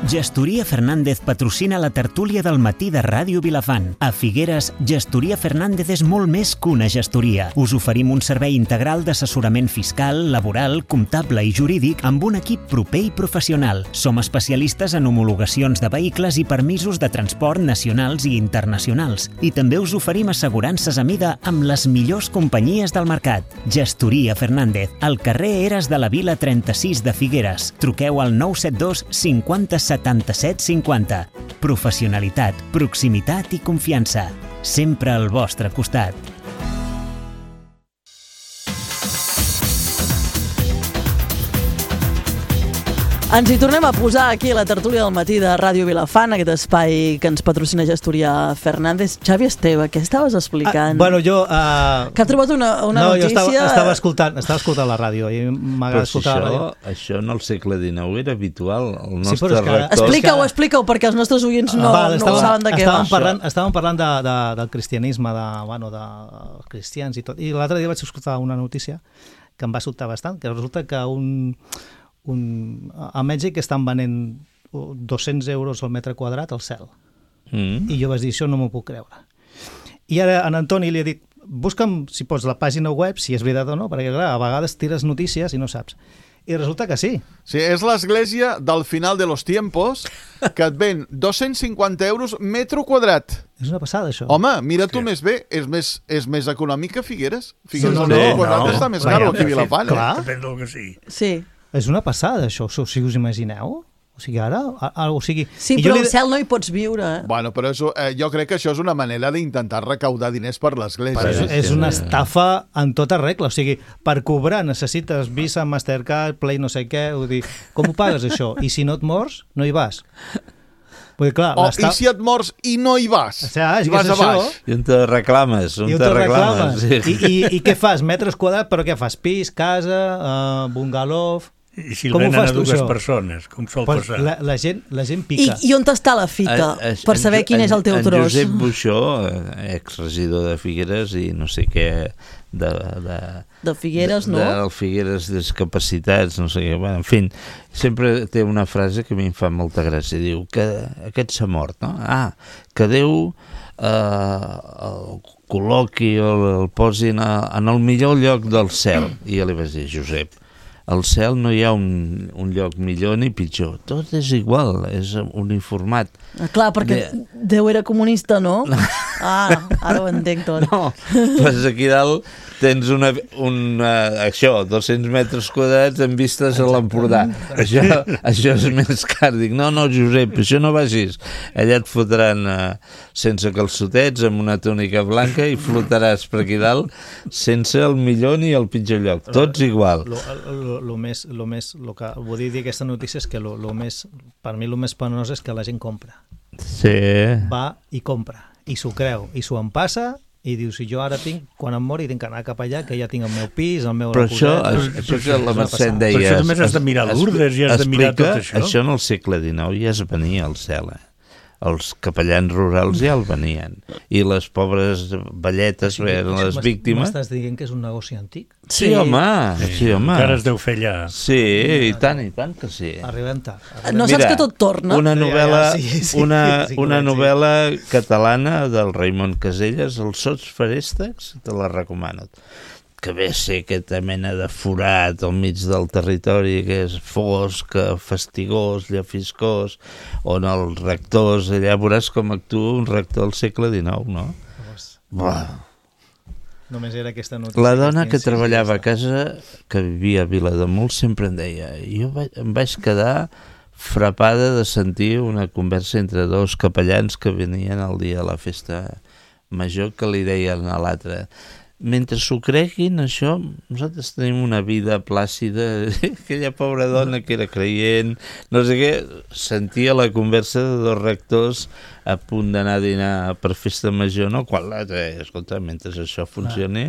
Gestoria Fernández patrocina la tertúlia del matí de Ràdio Vilafant. A Figueres, Gestoria Fernández és molt més que una gestoria. Us oferim un servei integral d'assessorament fiscal, laboral, comptable i jurídic amb un equip proper i professional. Som especialistes en homologacions de vehicles i permisos de transport nacionals i internacionals. I també us oferim assegurances a mida amb les millors companyies del mercat. Gestoria Fernández, al carrer Eres de la Vila trenta-sis de Figueres. Truqueu al nou set dos cinquanta setanta-set cinquanta. professionalitat, proximitat i confiança. Sempre al vostre costat. Ens hi tornem a posar aquí a la tertúlia del matí de Ràdio Vilafant, aquest espai que ens patrocina Gestoria Fernández. Xavi Esteve, què estaves explicant? Ah, bueno, jo... Uh... Que ha trobat una, una no, notícia... No, jo estava, estava, escoltant, estava escoltant la ràdio i m'agrada si escoltar això, la ràdio. Això en el segle dinou era habitual. El Sí, nostre però és que- rector... Explica-ho, explica-ho, perquè els nostres oients no, Val, no estàvem- saben de què estàvem va. Parlant, estàvem parlant de, de, del cristianisme, de, bueno, de cristians i tot. I l'altre dia vaig escoltar una notícia que em va sobtar bastant, que resulta que un, un, a Mèxic estan venent dos-cents euros al metre quadrat al cel. Mm. I jo vaig dir, això no m'ho puc creure. I ara en Antoni li he dit, busca'm, si pots, la pàgina web, si és veritat o no, perquè clar, a vegades tires notícies i no saps. I resulta que sí. Sí, és l'església del final de los tiempos que et ven dos-cents cinquanta euros metro quadrat. És una passada, això. Home, mira tu més bé, és més, és més econòmic que Figueres. Figueres Sí, no, al metro no, quadrat no. està més Clar, caro aquí a Vilafant. clar. Eh? Depèn del que sigui. Sí. És una passada, això, o sigui, us imagineu? O sigui, ara, a, a, o sigui... Sí, i però jo al li- cel no hi pots viure. Eh? Bueno, però és, eh, jo crec que això és una manera d'intentar recaudar diners per l'església. Però és, és una estafa en tota regla, o sigui, per cobrar necessites Visa, Mastercard, Play no sé què, vull dir, com ho pagues això? I si no et mors, no hi vas. Vull dir, clar, O, l'esta- i si et mors i no hi vas? O sigui, és que vas és a això. baix. I on te reclames? On I on te te reclames? reclames. Sí. I, i, I què fas? Metres quadrats, però què fas? Pis, casa, uh, bungalow... I si el Com ho venen fas a tu, dues això? persones, com sol Pues passar. la, la, gent, la gent I, pica. I on està la fita? Eh, eh, per en saber Jo- quin és el teu en, tros. En Josep Buixó, eh, exregidor de Figueres i no sé què, de... de De Figueres, de, no? De Figueres Discapacitats, no sé què, bueno, en fi, sempre té una frase que a mi em fa molta gràcia, diu que aquest s'ha mort, no? Ah, que Déu eh, el col·loqui o el posin a, en el millor lloc del cel. I jo li vaig dir, Josep, al cel no hi ha un, un lloc millor ni pitjor, tot és igual, és uniformat. Ah, clar, perquè De- Déu era comunista, no? Ah, ara ho entenc tot. No, pues aquí dalt tens una, una, això, dos-cents metres quadrats amb vistes a l'Empordà. Això, això és més car. Dic, no, no, Josep, això no vagis. Allà et fotran eh, sense calçotets, amb una túnica blanca i flotaràs per aquí dalt sense el millor ni el pitjor lloc. Tots igual. Lo, lo, lo més, lo més, lo que vull dir d'aquesta notícia és que lo, lo més, per mi el més penós és que la gent compra. Sí. Va i compra, i s'ho creu, i s'ho empassa, i diu, si jo ara tinc, quan em mori, tinc que anar cap allà, que ja tinc el meu pis, el meu... Però això, coseta, això que la Mercè em deia... Però això només has de mirar Lourdes i has de mirar tot explica, això. Això en el segle dinou ja es venia al cel, eh? Els capellans rurals ja el venien. I les pobres velletes, Sí, eren les m'es- víctimes... M'estàs dient que és un negoci antic? Sí, home, sí, home. Encara es deu fer allà. Sí, i tant, i tant que sí. Arribem tard. No saps que tot torna? Una novel·la, Ja, ja, sí, sí, una, sí que ho una veig, sí. novel·la catalana del Raimon Caselles, Els sots feréstecs, te la recomano. Que ve a ser aquesta mena de forat al mig del territori, que és fosc, fastigós, llafiscós, on els rectors, allà veuràs com actua un rector del segle dinou, no? Buah. Només era aquesta notícia. La dona que estic treballava a casa, que vivia a Vilademuls, sempre em deia, jo vaig, em vaig quedar frapada de sentir una conversa entre dos capellans que venien el dia de la festa major, que li deien a l'altre, mentre s'ho creguin, això, nosaltres tenim una vida plàcida. Aquella pobra dona que era creient, no sé què, sentia la conversa de dos rectors a punt d'anar a dinar per festa major, no? Quan l'altre, escolta, mentre això funcioni,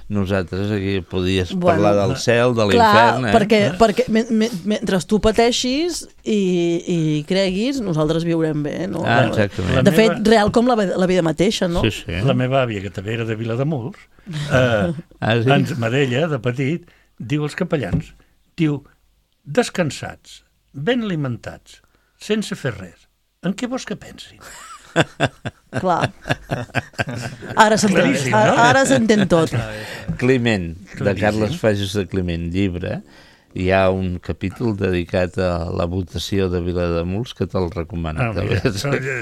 nosaltres aquí podies Bueno, parlar del cel, de Clar, l'infern, eh? perquè, perquè me, me, mentre tu pateixis i, i creguis, nosaltres viurem bé, no? Ah, exactament. De fet, real com la, la vida mateixa, no? Sí, sí. La meva àvia, que també era de Vilademuls, eh, Ah, sí? ens, Madella, de petit, diu als capellans, diu, descansats, ben alimentats, sense fer res, en què vols que pensin? Clar. Ara s'entén, Claríssim, ara, no? ara s'entén tot. Climent, de Claríssim. Carles Fages de Climent, llibre, hi ha un capítol dedicat a la votació de Vilademuls que te'l recomano. Ah, també. mira, això ja-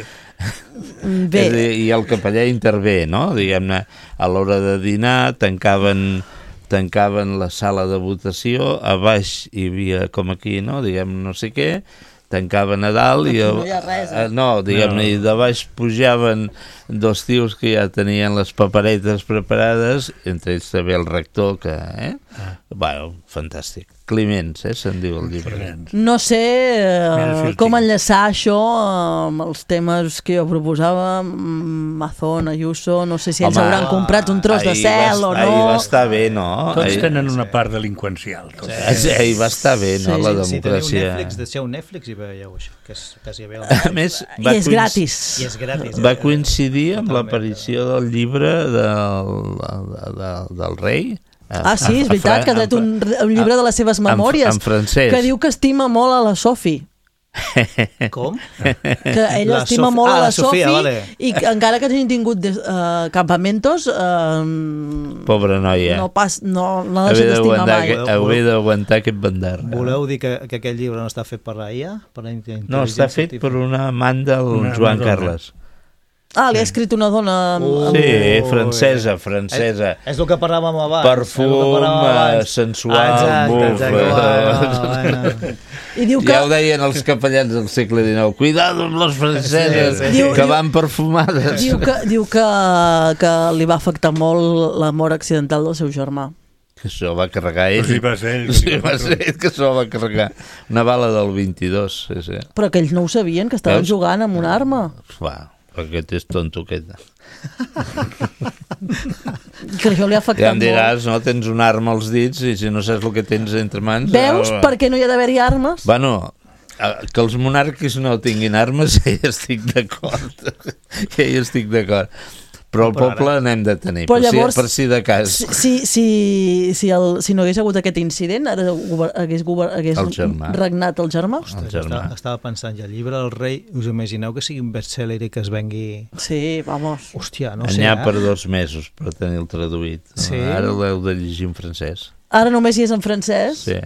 Bé. És a dir, i el capellà intervé, no? Diguem-ne, a l'hora de dinar tancaven, tancaven la sala de votació, a baix hi havia, com aquí, no? Diguem, no sé què, tancava Nadal i... No hi ha res, eh? No, diguem-ne, i de baix pujaven dos tios que ja tenien les paperetes preparades, entre ells també el rector, que... Eh? Ah. Bueno, fantàstic. Climents, eh, se'n diu el llibre. No sé eh, com enllaçar això amb els temes que jo proposava, Mazón, Ayuso, no sé si ells Home, hauran comprat un tros de cel va, o no. Ahir va estar bé, no? Tots ahir... tenen una part delinqüencial. Sí, sí, ahir va estar bé, no, sí, la democràcia. Si teniu Netflix, deixeu Netflix i veieu això, que és quasi bé. A més, I és gratis. I és gratis. Va coincidir amb l'aparició del llibre del, del, del, del rei. Ah, sí, és veritat, que ha tret un, un llibre de les seves memòries. En, en francès. Que diu que estima molt a la Sofi. Com? Que ell la estima Sof... molt ah, a la, la Sofi vale. I que, encara que hagin tingut uh, campamentos uh, pobra noia no, pas, no, no l'ha deixat d'estimar mai. Hauria d'aguantar aquest bandar. Voleu dir que, que aquest llibre no està fet per la I A? Per la no, està fet per una amant del una, Joan una Carles. Ah, li ha escrit una dona... Uh, sí, francesa, francesa. És, és el que parlàvem abans. Perfum, abans. sensual, exacte, buf. Exacte, bueno, I diu que... Ja ho deien els capellans del segle dinou. Cuidado amb les franceses, sí, sí. que diu, van perfumades. Diu, que, diu que, que li va afectar molt la mort accidental del seu germà. Que això va carregar ell. Sí, va ser ell. Sí, va ser ell que això va carregar. Una bala del vint-i-dos. Sí, sí. Però que ells no ho sabien, que estaven Veus? jugant amb una arma. Va. Aquest és tonto, aquest. Que això li ha afectat ja em diràs, molt. No? Tens una arma als dits i si no saps el que tens entre mans... Veus eh, per què no hi ha d'haver-hi armes? Bueno, que els monarquis no tinguin armes, ja hi estic d'acord. Ja hi estic d'acord. Però el però poble ara... n'hem de tenir, per, llavors, si, per si de cas. Si, si, si, si, el, si no hagués hagut aquest incident, ara hagués, hagués el regnat el germà? Ostres, el germà. Estava, estava pensant, ja el llibre del rei, us imagineu que sigui un best-seller i que es vengui... Sí, vamos. Hòstia, no sé. N'hi ha eh? per dos mesos per tenir-lo traduït. Sí? Ara l'heu de llegir en francès. Ara només hi és en francès? Sí.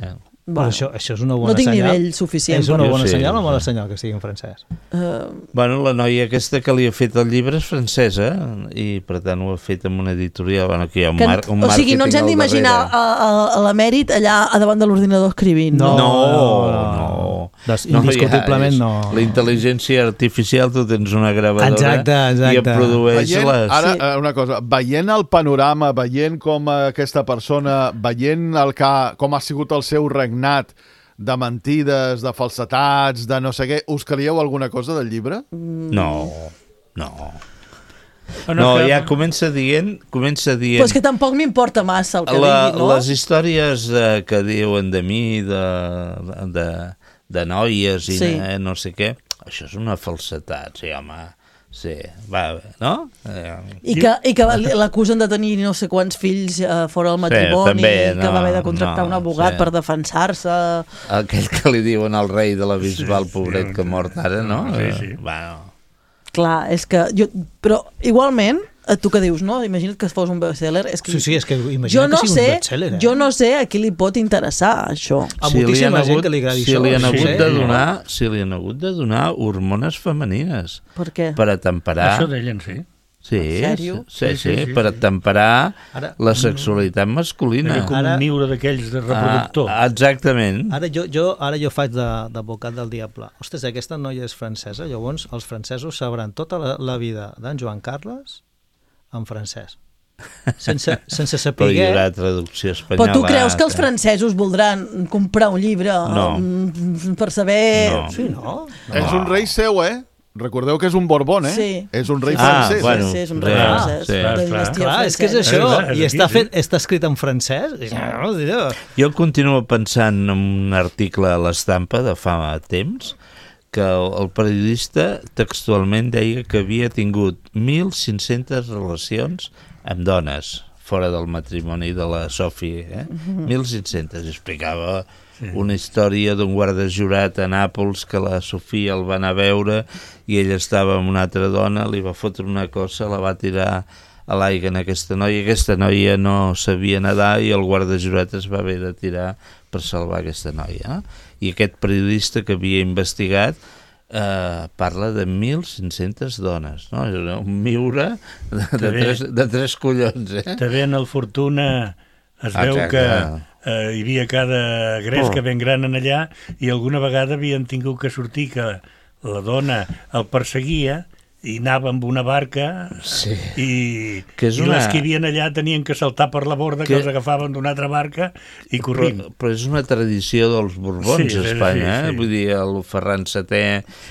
Bueno, això, això és una bona no tinc senyal. nivell suficient. És una bona sí, senyal o mala sí. senyal que sigui en francès? Uh... Bueno, la noia aquesta que li ha fet el llibre és francesa i per tant ho ha fet amb una editorial bueno, que hi ha un, que, mar, un o sigui, no ens hem d'imaginar a, a, a l'emèrit allà a davant de l'ordinador escrivint. No, no, no, no. Des, indiscutiblement no. Ja, la intel·ligència artificial, tu tens una gravadora exacte, exacte. i et produeix veient, les... Ara, sí. una cosa, veient el panorama, veient com aquesta persona, veient el que, com ha sigut el seu regnat, de mentides, de falsetats, de no sé què, us creieu alguna cosa del llibre? No, no. No, no que... ja comença dient... Comença dient... Però és que tampoc m'importa massa el que la, digui, no? Les històries eh, que diuen de mi, de, de, de noies i sí. eh, no sé què, això és una falsetat, sí, home... Sí, va, no? Eh, I que, i que l'acusen de tenir no sé quants fills uh, fora del matrimoni, sí, també, no, que va haver de contractar no, un abogat sí. per defensar-se. Aquell que li diuen al rei de la Bisbal, sí, pobret, sí, que ha mort ara, no? Sí, sí. Eh, bueno. Clar, és que... Jo, però igualment, tu que dius, no? Imagina't que fos un bestseller. És que sí, sí, és que imagina't no que sigui sé, un bestseller. Eh? Jo no sé a qui li pot interessar, això. A si moltíssima hagut, gent que li agradi si això. Li han sí, hagut sí. de donar, si li han hagut de donar hormones femenines. Per què? Per atemperar... Això deien, sí. Sí, sí, sí, sí, sí, per temperar ara, la sexualitat masculina. Com ara, un niure d'aquells de reproductor. Ah, exactament. Ara jo, jo, ara jo faig d'advocat de, del diable. Ostres, aquesta noia és francesa, llavors els francesos sabran tota la, la vida d'en Joan Carles en francès. Sense, sense saber... Però hi haurà traducció espanyola. Però tu creus que els francesos voldran comprar un llibre no. per saber... No. Sí, no? no. És un rei seu, eh? Recordeu que és un Borbón, eh? Sí. És un rei ah, francès. Bueno, sí, és un rei ah, francès. Sí. De clar, clar, és que és això. És I està, fet, està escrit en francès. Jo continuo pensant en un article a l'Estampa de fa temps que el, el periodista textualment deia que havia tingut mil cinc-centes relacions amb dones fora del matrimoni de la Sophie, eh? Mm-hmm. mil cinc-centes. Explicava sí. una història d'un guarda jurat a Nàpols que la Sofia el va anar a veure i ella estava amb una altra dona, li va fotre una cosa, la va tirar a l'aigua en aquesta noia. Aquesta noia no sabia nedar i el guarda jurat es va haver de tirar per salvar aquesta noia. Eh? I aquest periodista que havia investigat Uh, parla de mil cinc-centes dones, no? Un miure de, de, tres, de tres collons, eh? També en el Fortuna es veu Exacte. que eh, hi havia cada gresca Oh. ben gran en allà i alguna vegada havien tingut que sortir que la dona el perseguia i anava amb una barca sí. i, que és i una... les que hi havia allà tenien que saltar per la borda, que, que els agafaven d'una altra barca i corrint. Però, però és una tradició dels Borbons Sí, a Espanya, sí, sí. eh? Vull dir, el Ferran setè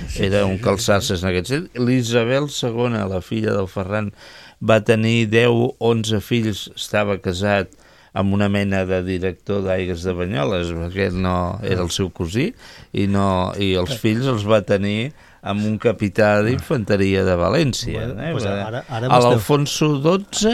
Sí, era sí, un sí. calçasses en aquest sentit. L'Isabel segona, la filla del Ferran, va tenir deu, onze fills, estava casat amb una mena de director d'Aigües de Banyoles, perquè no era el seu cosí, i, no, i els fills els va tenir amb un capità d'infanteria de València. Bueno, eh? pues ara- ara A vostè- l'Alfonso dotze,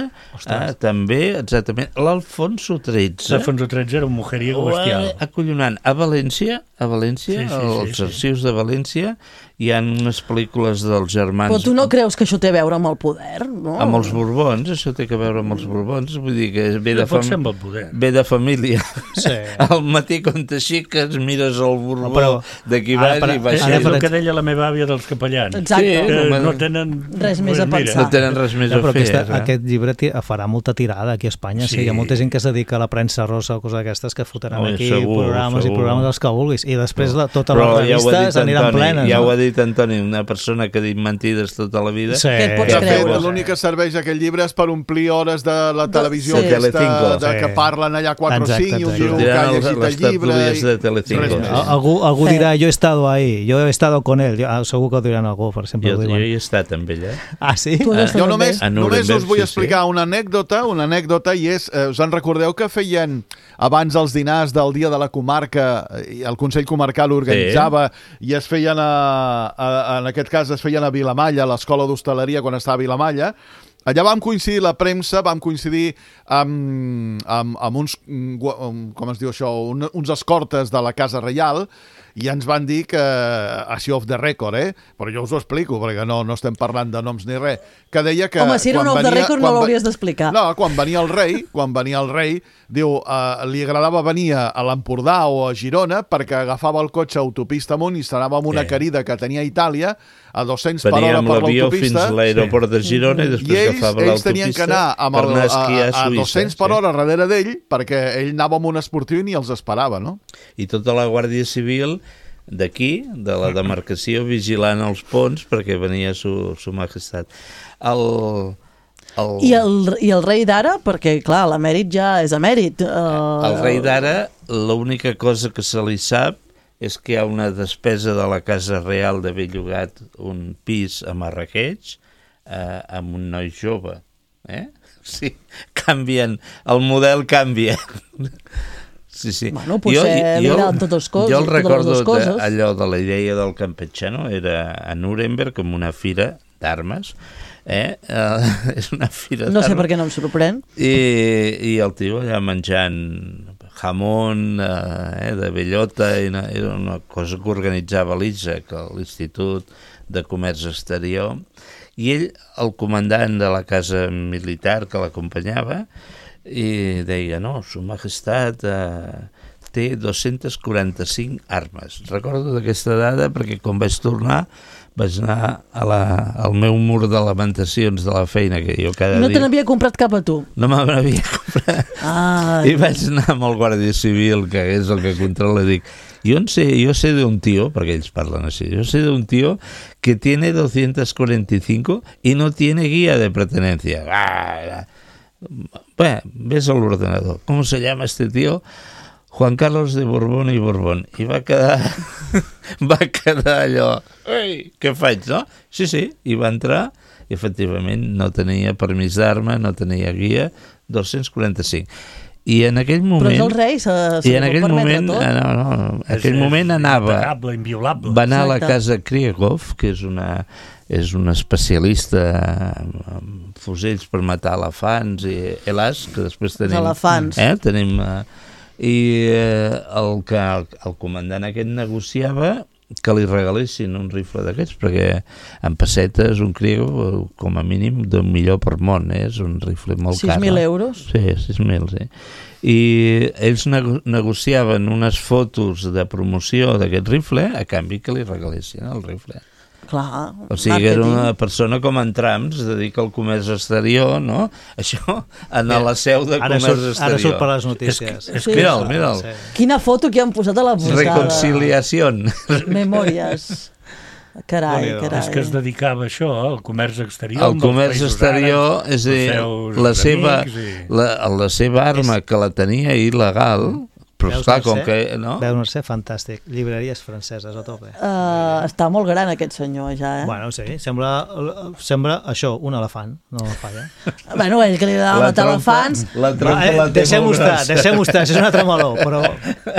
eh, també, exactament. L'Alfonso tretze... L'Alfonso tretze era un mujeriego bestial. Acollonant. A València, a València, Sí, sí, als sí, sí. arxius de València, hi ha unes pel·lícules dels germans... Però tu no creus que això té a veure amb el poder? No? Amb els Borbons, això té a veure amb els Borbons, vull dir que ve de, Pot fam... ser amb el poder. ve de família. Sí. Al matí quan t'aixeques mires el Borbó Però- d'aquí ara, baix per- i baix. És el que deia la meva àvia dels capellans. Exacte. Sí, Que home, no tenen res més a mira, pensar. No tenen res més No, a però fer. aquesta, eh? aquest llibre ti- farà molta tirada aquí a Espanya. Sí. Sí. Hi ha molta gent que es dedica a la premsa rosa o coses d'aquestes que fotran Oi, aquí segur, programes segur. i programes els que vulguis. I després la, totes Però les ja ho ha revistes dit aniran Antoni, plenes. ja no? ho ha dit Antoni, una persona que ha dit mentides tota la vida. Sí. Què et pots De fet, creure? l'únic que serveix aquest llibre és per omplir hores de la televisió sí. aquesta, Telecinco. de, que Sí. parlen allà quatre o Exacte, cinc i un exacte. diu que Sortiran ha les- llegit les el llibre tertúlies i de Telecinco. res Sí. més. Al- Algú, algú Sí. dirà, jo he estado ahí, jo he estado con él. Jo, ah, segur que ho diran algú, per exemple. Jo, ho jo diuen. hi he estat amb ella. Ah, sí? Tu has Ah, estat Jo amb només, ell? A només Nuremberg, us vull sí, explicar una anècdota, una anècdota, i és, eh, us en recordeu que feien abans els dinars del dia de la comarca, i el Consell Comarcal organitzava, i es feien, a, a, en aquest cas es feien a Vilamalla, a l'Escola d'Hostaleria quan estava a Vilamalla. Allà vam coincidir la premsa, vam coincidir amb, amb, amb uns, mm, gua- um, com es diu això, un, uns escortes de la Casa Reial, i ens van dir que, així off the record, eh? Però jo us ho explico, perquè no, no estem parlant de noms ni res, que deia que... Home, si era un quan off the venia- record no quan ve- l'hauries d'explicar. No, quan venia el rei, quan venia el rei, diu, eh, li agradava venir a, a l'Empordà o a Girona perquè agafava el cotxe autopista amunt i s'anava amb una Sí. querida que tenia a Itàlia a dos-cents per Venia hora amb per l'avió fins l'autopista. a l'aeroport de Girona i I després ells, agafava ells l'autopista tenien que anar amb per el, anar a a, esquiar a a Suïssa. dos-cents per hora darrere d'ell perquè ell anava amb un esportiu i ni els esperava, no? I tota la Guàrdia Civil d'aquí, de la demarcació, vigilant els ponts perquè venia su, su majestat. El, el, I el, I el rei d'ara, perquè clar, l'emèrit ja és emèrit. Uh, el rei d'ara, l'única cosa que se li sap és que hi ha una despesa de la Casa Real d'haver llogat un pis a Marrakeix eh, amb un noi jove. Eh? Sí, canvien, el model canvia. Sí, sí. Bueno, potser li agraden totes les coses, Jo el totes les recordo dues coses. de, allò de la idea del Campechano, era a Nuremberg, amb una fira d'armes, eh? Uh, és una fira No sé d'armes. per què no em sorprèn. I, i el tio allà menjant jamón eh, de bellota, i una, era una cosa que organitzava l'I S A, que l'Institut de Comerç Exterior, i ell, el comandant de la casa militar que l'acompanyava, i deia, no, su majestat eh, té dos-centes quaranta-cinc armes. Recordo d'aquesta dada perquè quan vaig tornar vaig anar a la, al meu mur de lamentacions de la feina que jo cada No te dia... n'havia comprat cap a tu. No me n'havia comprat. Ah, I vaig anar amb el Guàrdia Civil, que és el que controla, i dic, jo, sé, jo sé d'un tío, perquè ells parlen així, jo sé d'un tío que tiene doscientos cuarenta y cinco y no tiene guía de pertenencia. Ah, bueno, ves al ordenador. ¿Cómo se llama este tío? Juan Carlos de Borbón i Borbón. I va quedar, va quedar allò, ei, què faig, no? Sí, sí, i va entrar, i efectivament no tenia permís d'arma, no tenia guia, dos-cents quaranta-cinc. I en aquell moment... Però és el rei, se, se I en li pot aquell permetre moment, tot. eh, no, no, en aquell És- moment és anava... impecable, inviolable. Va anar a la Exacte. casa Krieghoff, que és una, és una especialista en, en fusells per matar elefants i elars, que després tenim... elefants. Eh, tenim... Eh, I eh, el que el, el comandant aquest negociava que li regalessin un rifle d'aquests, perquè en pessetes un Krieghoff, com a mínim, d'un milió per món, eh? És un rifle molt car. sis mil no? euros? Sí, sis mil, sí. I ells nego negociaven unes fotos de promoció d'aquest rifle a canvi que li regalessin el rifle. Clar, o sigui, era una persona com en Trumps, dedica al comerç exterior, no? Això, anar a la seu de comerç exterior. Ara surt per les notícies. És, és, mira'l, mira'l. Quina foto que han posat a la portada. Reconciliació. Memòries. Carai, carai. És que es dedicava a això, al comerç exterior. El comerç exterior, és a dir, la seva, la, la seva arma que la tenia il·legal, però Veus, esclar, com Mercè? que... No? Veus, Mercè, fantàstic. Llibreries franceses a tope. Uh, està molt gran aquest senyor ja, eh? Bueno, sí, sembla, sembla això, un elefant, no la falla. Bueno, ell que li agrada matar elefants... La trompa eh, la té deixem-ho molt estar, grossa. deixem-ho estar, això és un altre meló, però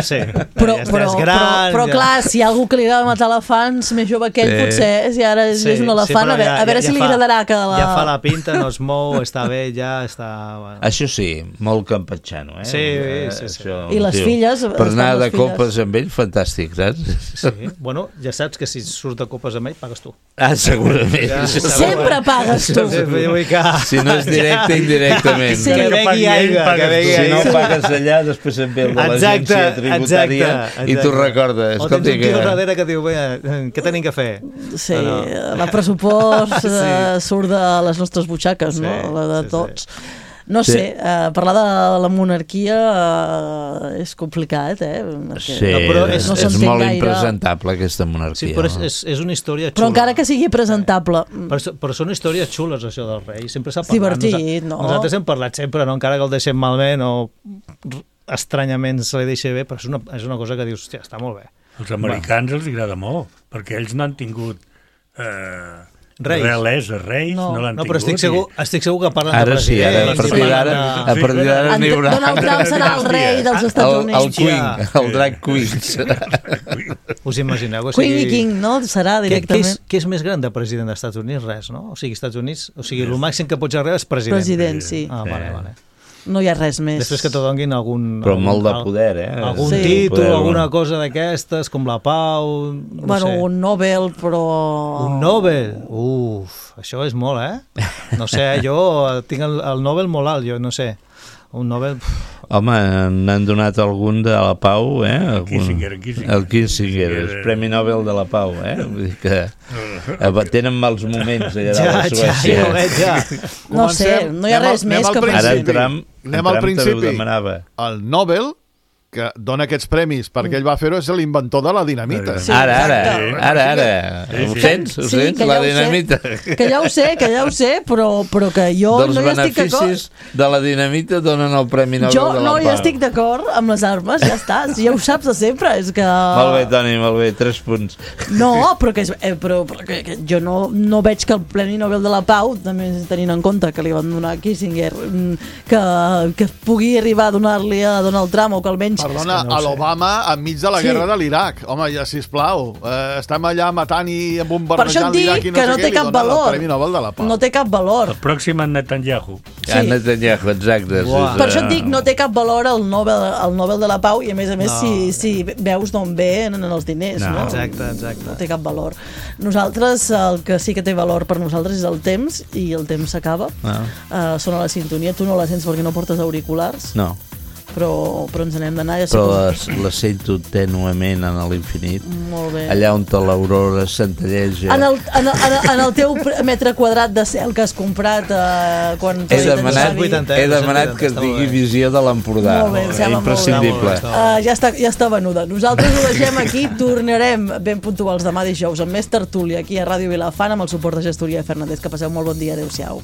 sí, Però, ja, però, és gran, però, però ja... clar, si hi ha algú que li agrada matar elefants més jove que ell, Sí. potser, si ara és, Sí, és un elefant, sí, a veure, ja, a veure ja, si ja li fa, agradarà que la... Ja fa la pinta, no es mou, està bé, ja està... Bueno. Això sí, molt campatxano, eh? Sí, Eh, sí, sí. això, I les tio, filles, Per estan anar les de filles. copes amb ell, fantàstic, saps? Sí, bueno, ja saps que si surts de copes amb ell, pagues tu. Ah, segurament. Ja, Això Sempre pagues tu. Sí, vull que... Si no és directe, indirectament. Sí. Que begui aigua, que begui Si no aigua. pagues allà, després et ve el de Exacte, l'agència tributària exacte, i tu exacte. recordes. O tens un Escolti, tio que... darrere que diu, bé, què tenim que fer? Sí, No, la pressupost Sí. eh, surt de les nostres butxaques, no? Sí, La de sí, tots. No Sí. sé, eh, parlar de la monarquia eh, és complicat, eh? Perquè Sí, No, però és, és- no és s'entén molt gaire. impresentable aquesta monarquia. Sí, però és, no? és, és una història xula. Però encara que sigui presentable... Però, però són històries xules, això del rei. Sempre s'ha parlat. Divertit, Nosa- no? Nosaltres hem parlat sempre, no? Encara que el deixem malament o estranyament se li deixa bé, però és una, és una cosa que dius, hòstia, està molt bé. Els americans els agrada molt, perquè ells no han tingut eh, Reis. realesa, reis, no, no l'han No, tingut. però estic segur, estic segur que parlen Ara de sí, ara, presidents. a partir parlen d'ara, de- a partir d'ara En- n'hi haurà... Donald Trump serà el rei dels Estats El, Units. el Queen, el drag queen. Us imagineu que Queen sigui... i King, no? Serà Què, què, directament. és, què és més gran de president dels Estats Units? Res, no? O sigui, Estats Units, o sigui, el màxim que pots arribar és president. President, sí. Ah, vale, vale. No hi ha res més. Després que te donguin algun... Però algun, molt de poder, eh? Algun Sí. títol, Poder, alguna bueno. cosa d'aquestes, com la pau... No Bueno, sé. un Nobel, però... Un Nobel? Uf, això és molt, eh? No sé, jo tinc el, el Nobel molt alt, jo no sé. Un Nobel... Uf. Home, n'han donat algun de la Pau, eh? Algun... Kissinger, el Kissinger. El Kissinger, el Premi Nobel de la Pau, eh? Vull dir que eh, tenen mals moments allà Ja, a ja, Suècia. ja ho veig, ja. No sé, no hi ha Anem al- res anem més al que... principi. Ara en Trump, en Anem al Trump també ho principi. demanava. El Nobel, que dona aquests premis perquè ell va fer-ho, és l'inventor de la dinamita. Sí, Ara, ara, exacte. ara, ara. Sí, Ho sí. sents? Ho Sí, sents? que ja La ho sé. dinamita. Que ja ho sé, que ja ho sé, però, però que jo Dels no hi estic d'acord. beneficis de la dinamita donen el Premi Nobel Jo de la no Pau. hi estic d'acord amb les armes, ja està. Si ja ho saps de sempre, és que... Molt bé, Toni, molt bé, tres punts. No, però, que, és, eh, però, però que, que jo no, no veig que el Premi Nobel de la Pau, també tenint en compte que li van donar a Kissinger, mm, que, que pugui arribar a donar-li a Donald Trump o que almenys... Perdona, no ho a sé. l'Obama enmig de la Sí. guerra de l'Iraq. Home, ja, sisplau, eh, estem allà matant i Per això bombardejant et dic l'Iraq i no que sé no què, té li cap donen valor. el Premi Nobel de la Pau. No té cap valor. El pròxim en Netanyahu. Ja, Netanyahu, exacte. Uah. Per això et dic, no té cap valor el Nobel, el Nobel de la Pau i a més a més No. si, si veus d'on ve en els diners, no? No. Exacte, exacte. No té cap valor. Nosaltres, el que sí que té valor per nosaltres és el temps, i el temps s'acaba. No. Uh, sona la sintonia, tu no la sents perquè no portes auriculars, No, però, però ens n'hem d'anar. Ja sé però com- la, la sento tènuement en l'infinit. Molt bé. Allà on l'aurora centelleja. En el, en, el, en, el, en el teu pr- metre quadrat de cel que has comprat eh, quan... He demanat, vuitanta, he demanat que està es molt digui bé. visió de l'Empordà. Molt bé, em sembla molt bé. Imprescindible. Està molt bé, Uh, ja, està, ja està venuda. Nosaltres ho deixem aquí, tornarem ben puntuals demà dijous amb més tertúlia aquí a Ràdio Vilafant amb el suport de Gestoria Fernández. Que passeu molt bon dia, adeu-siau.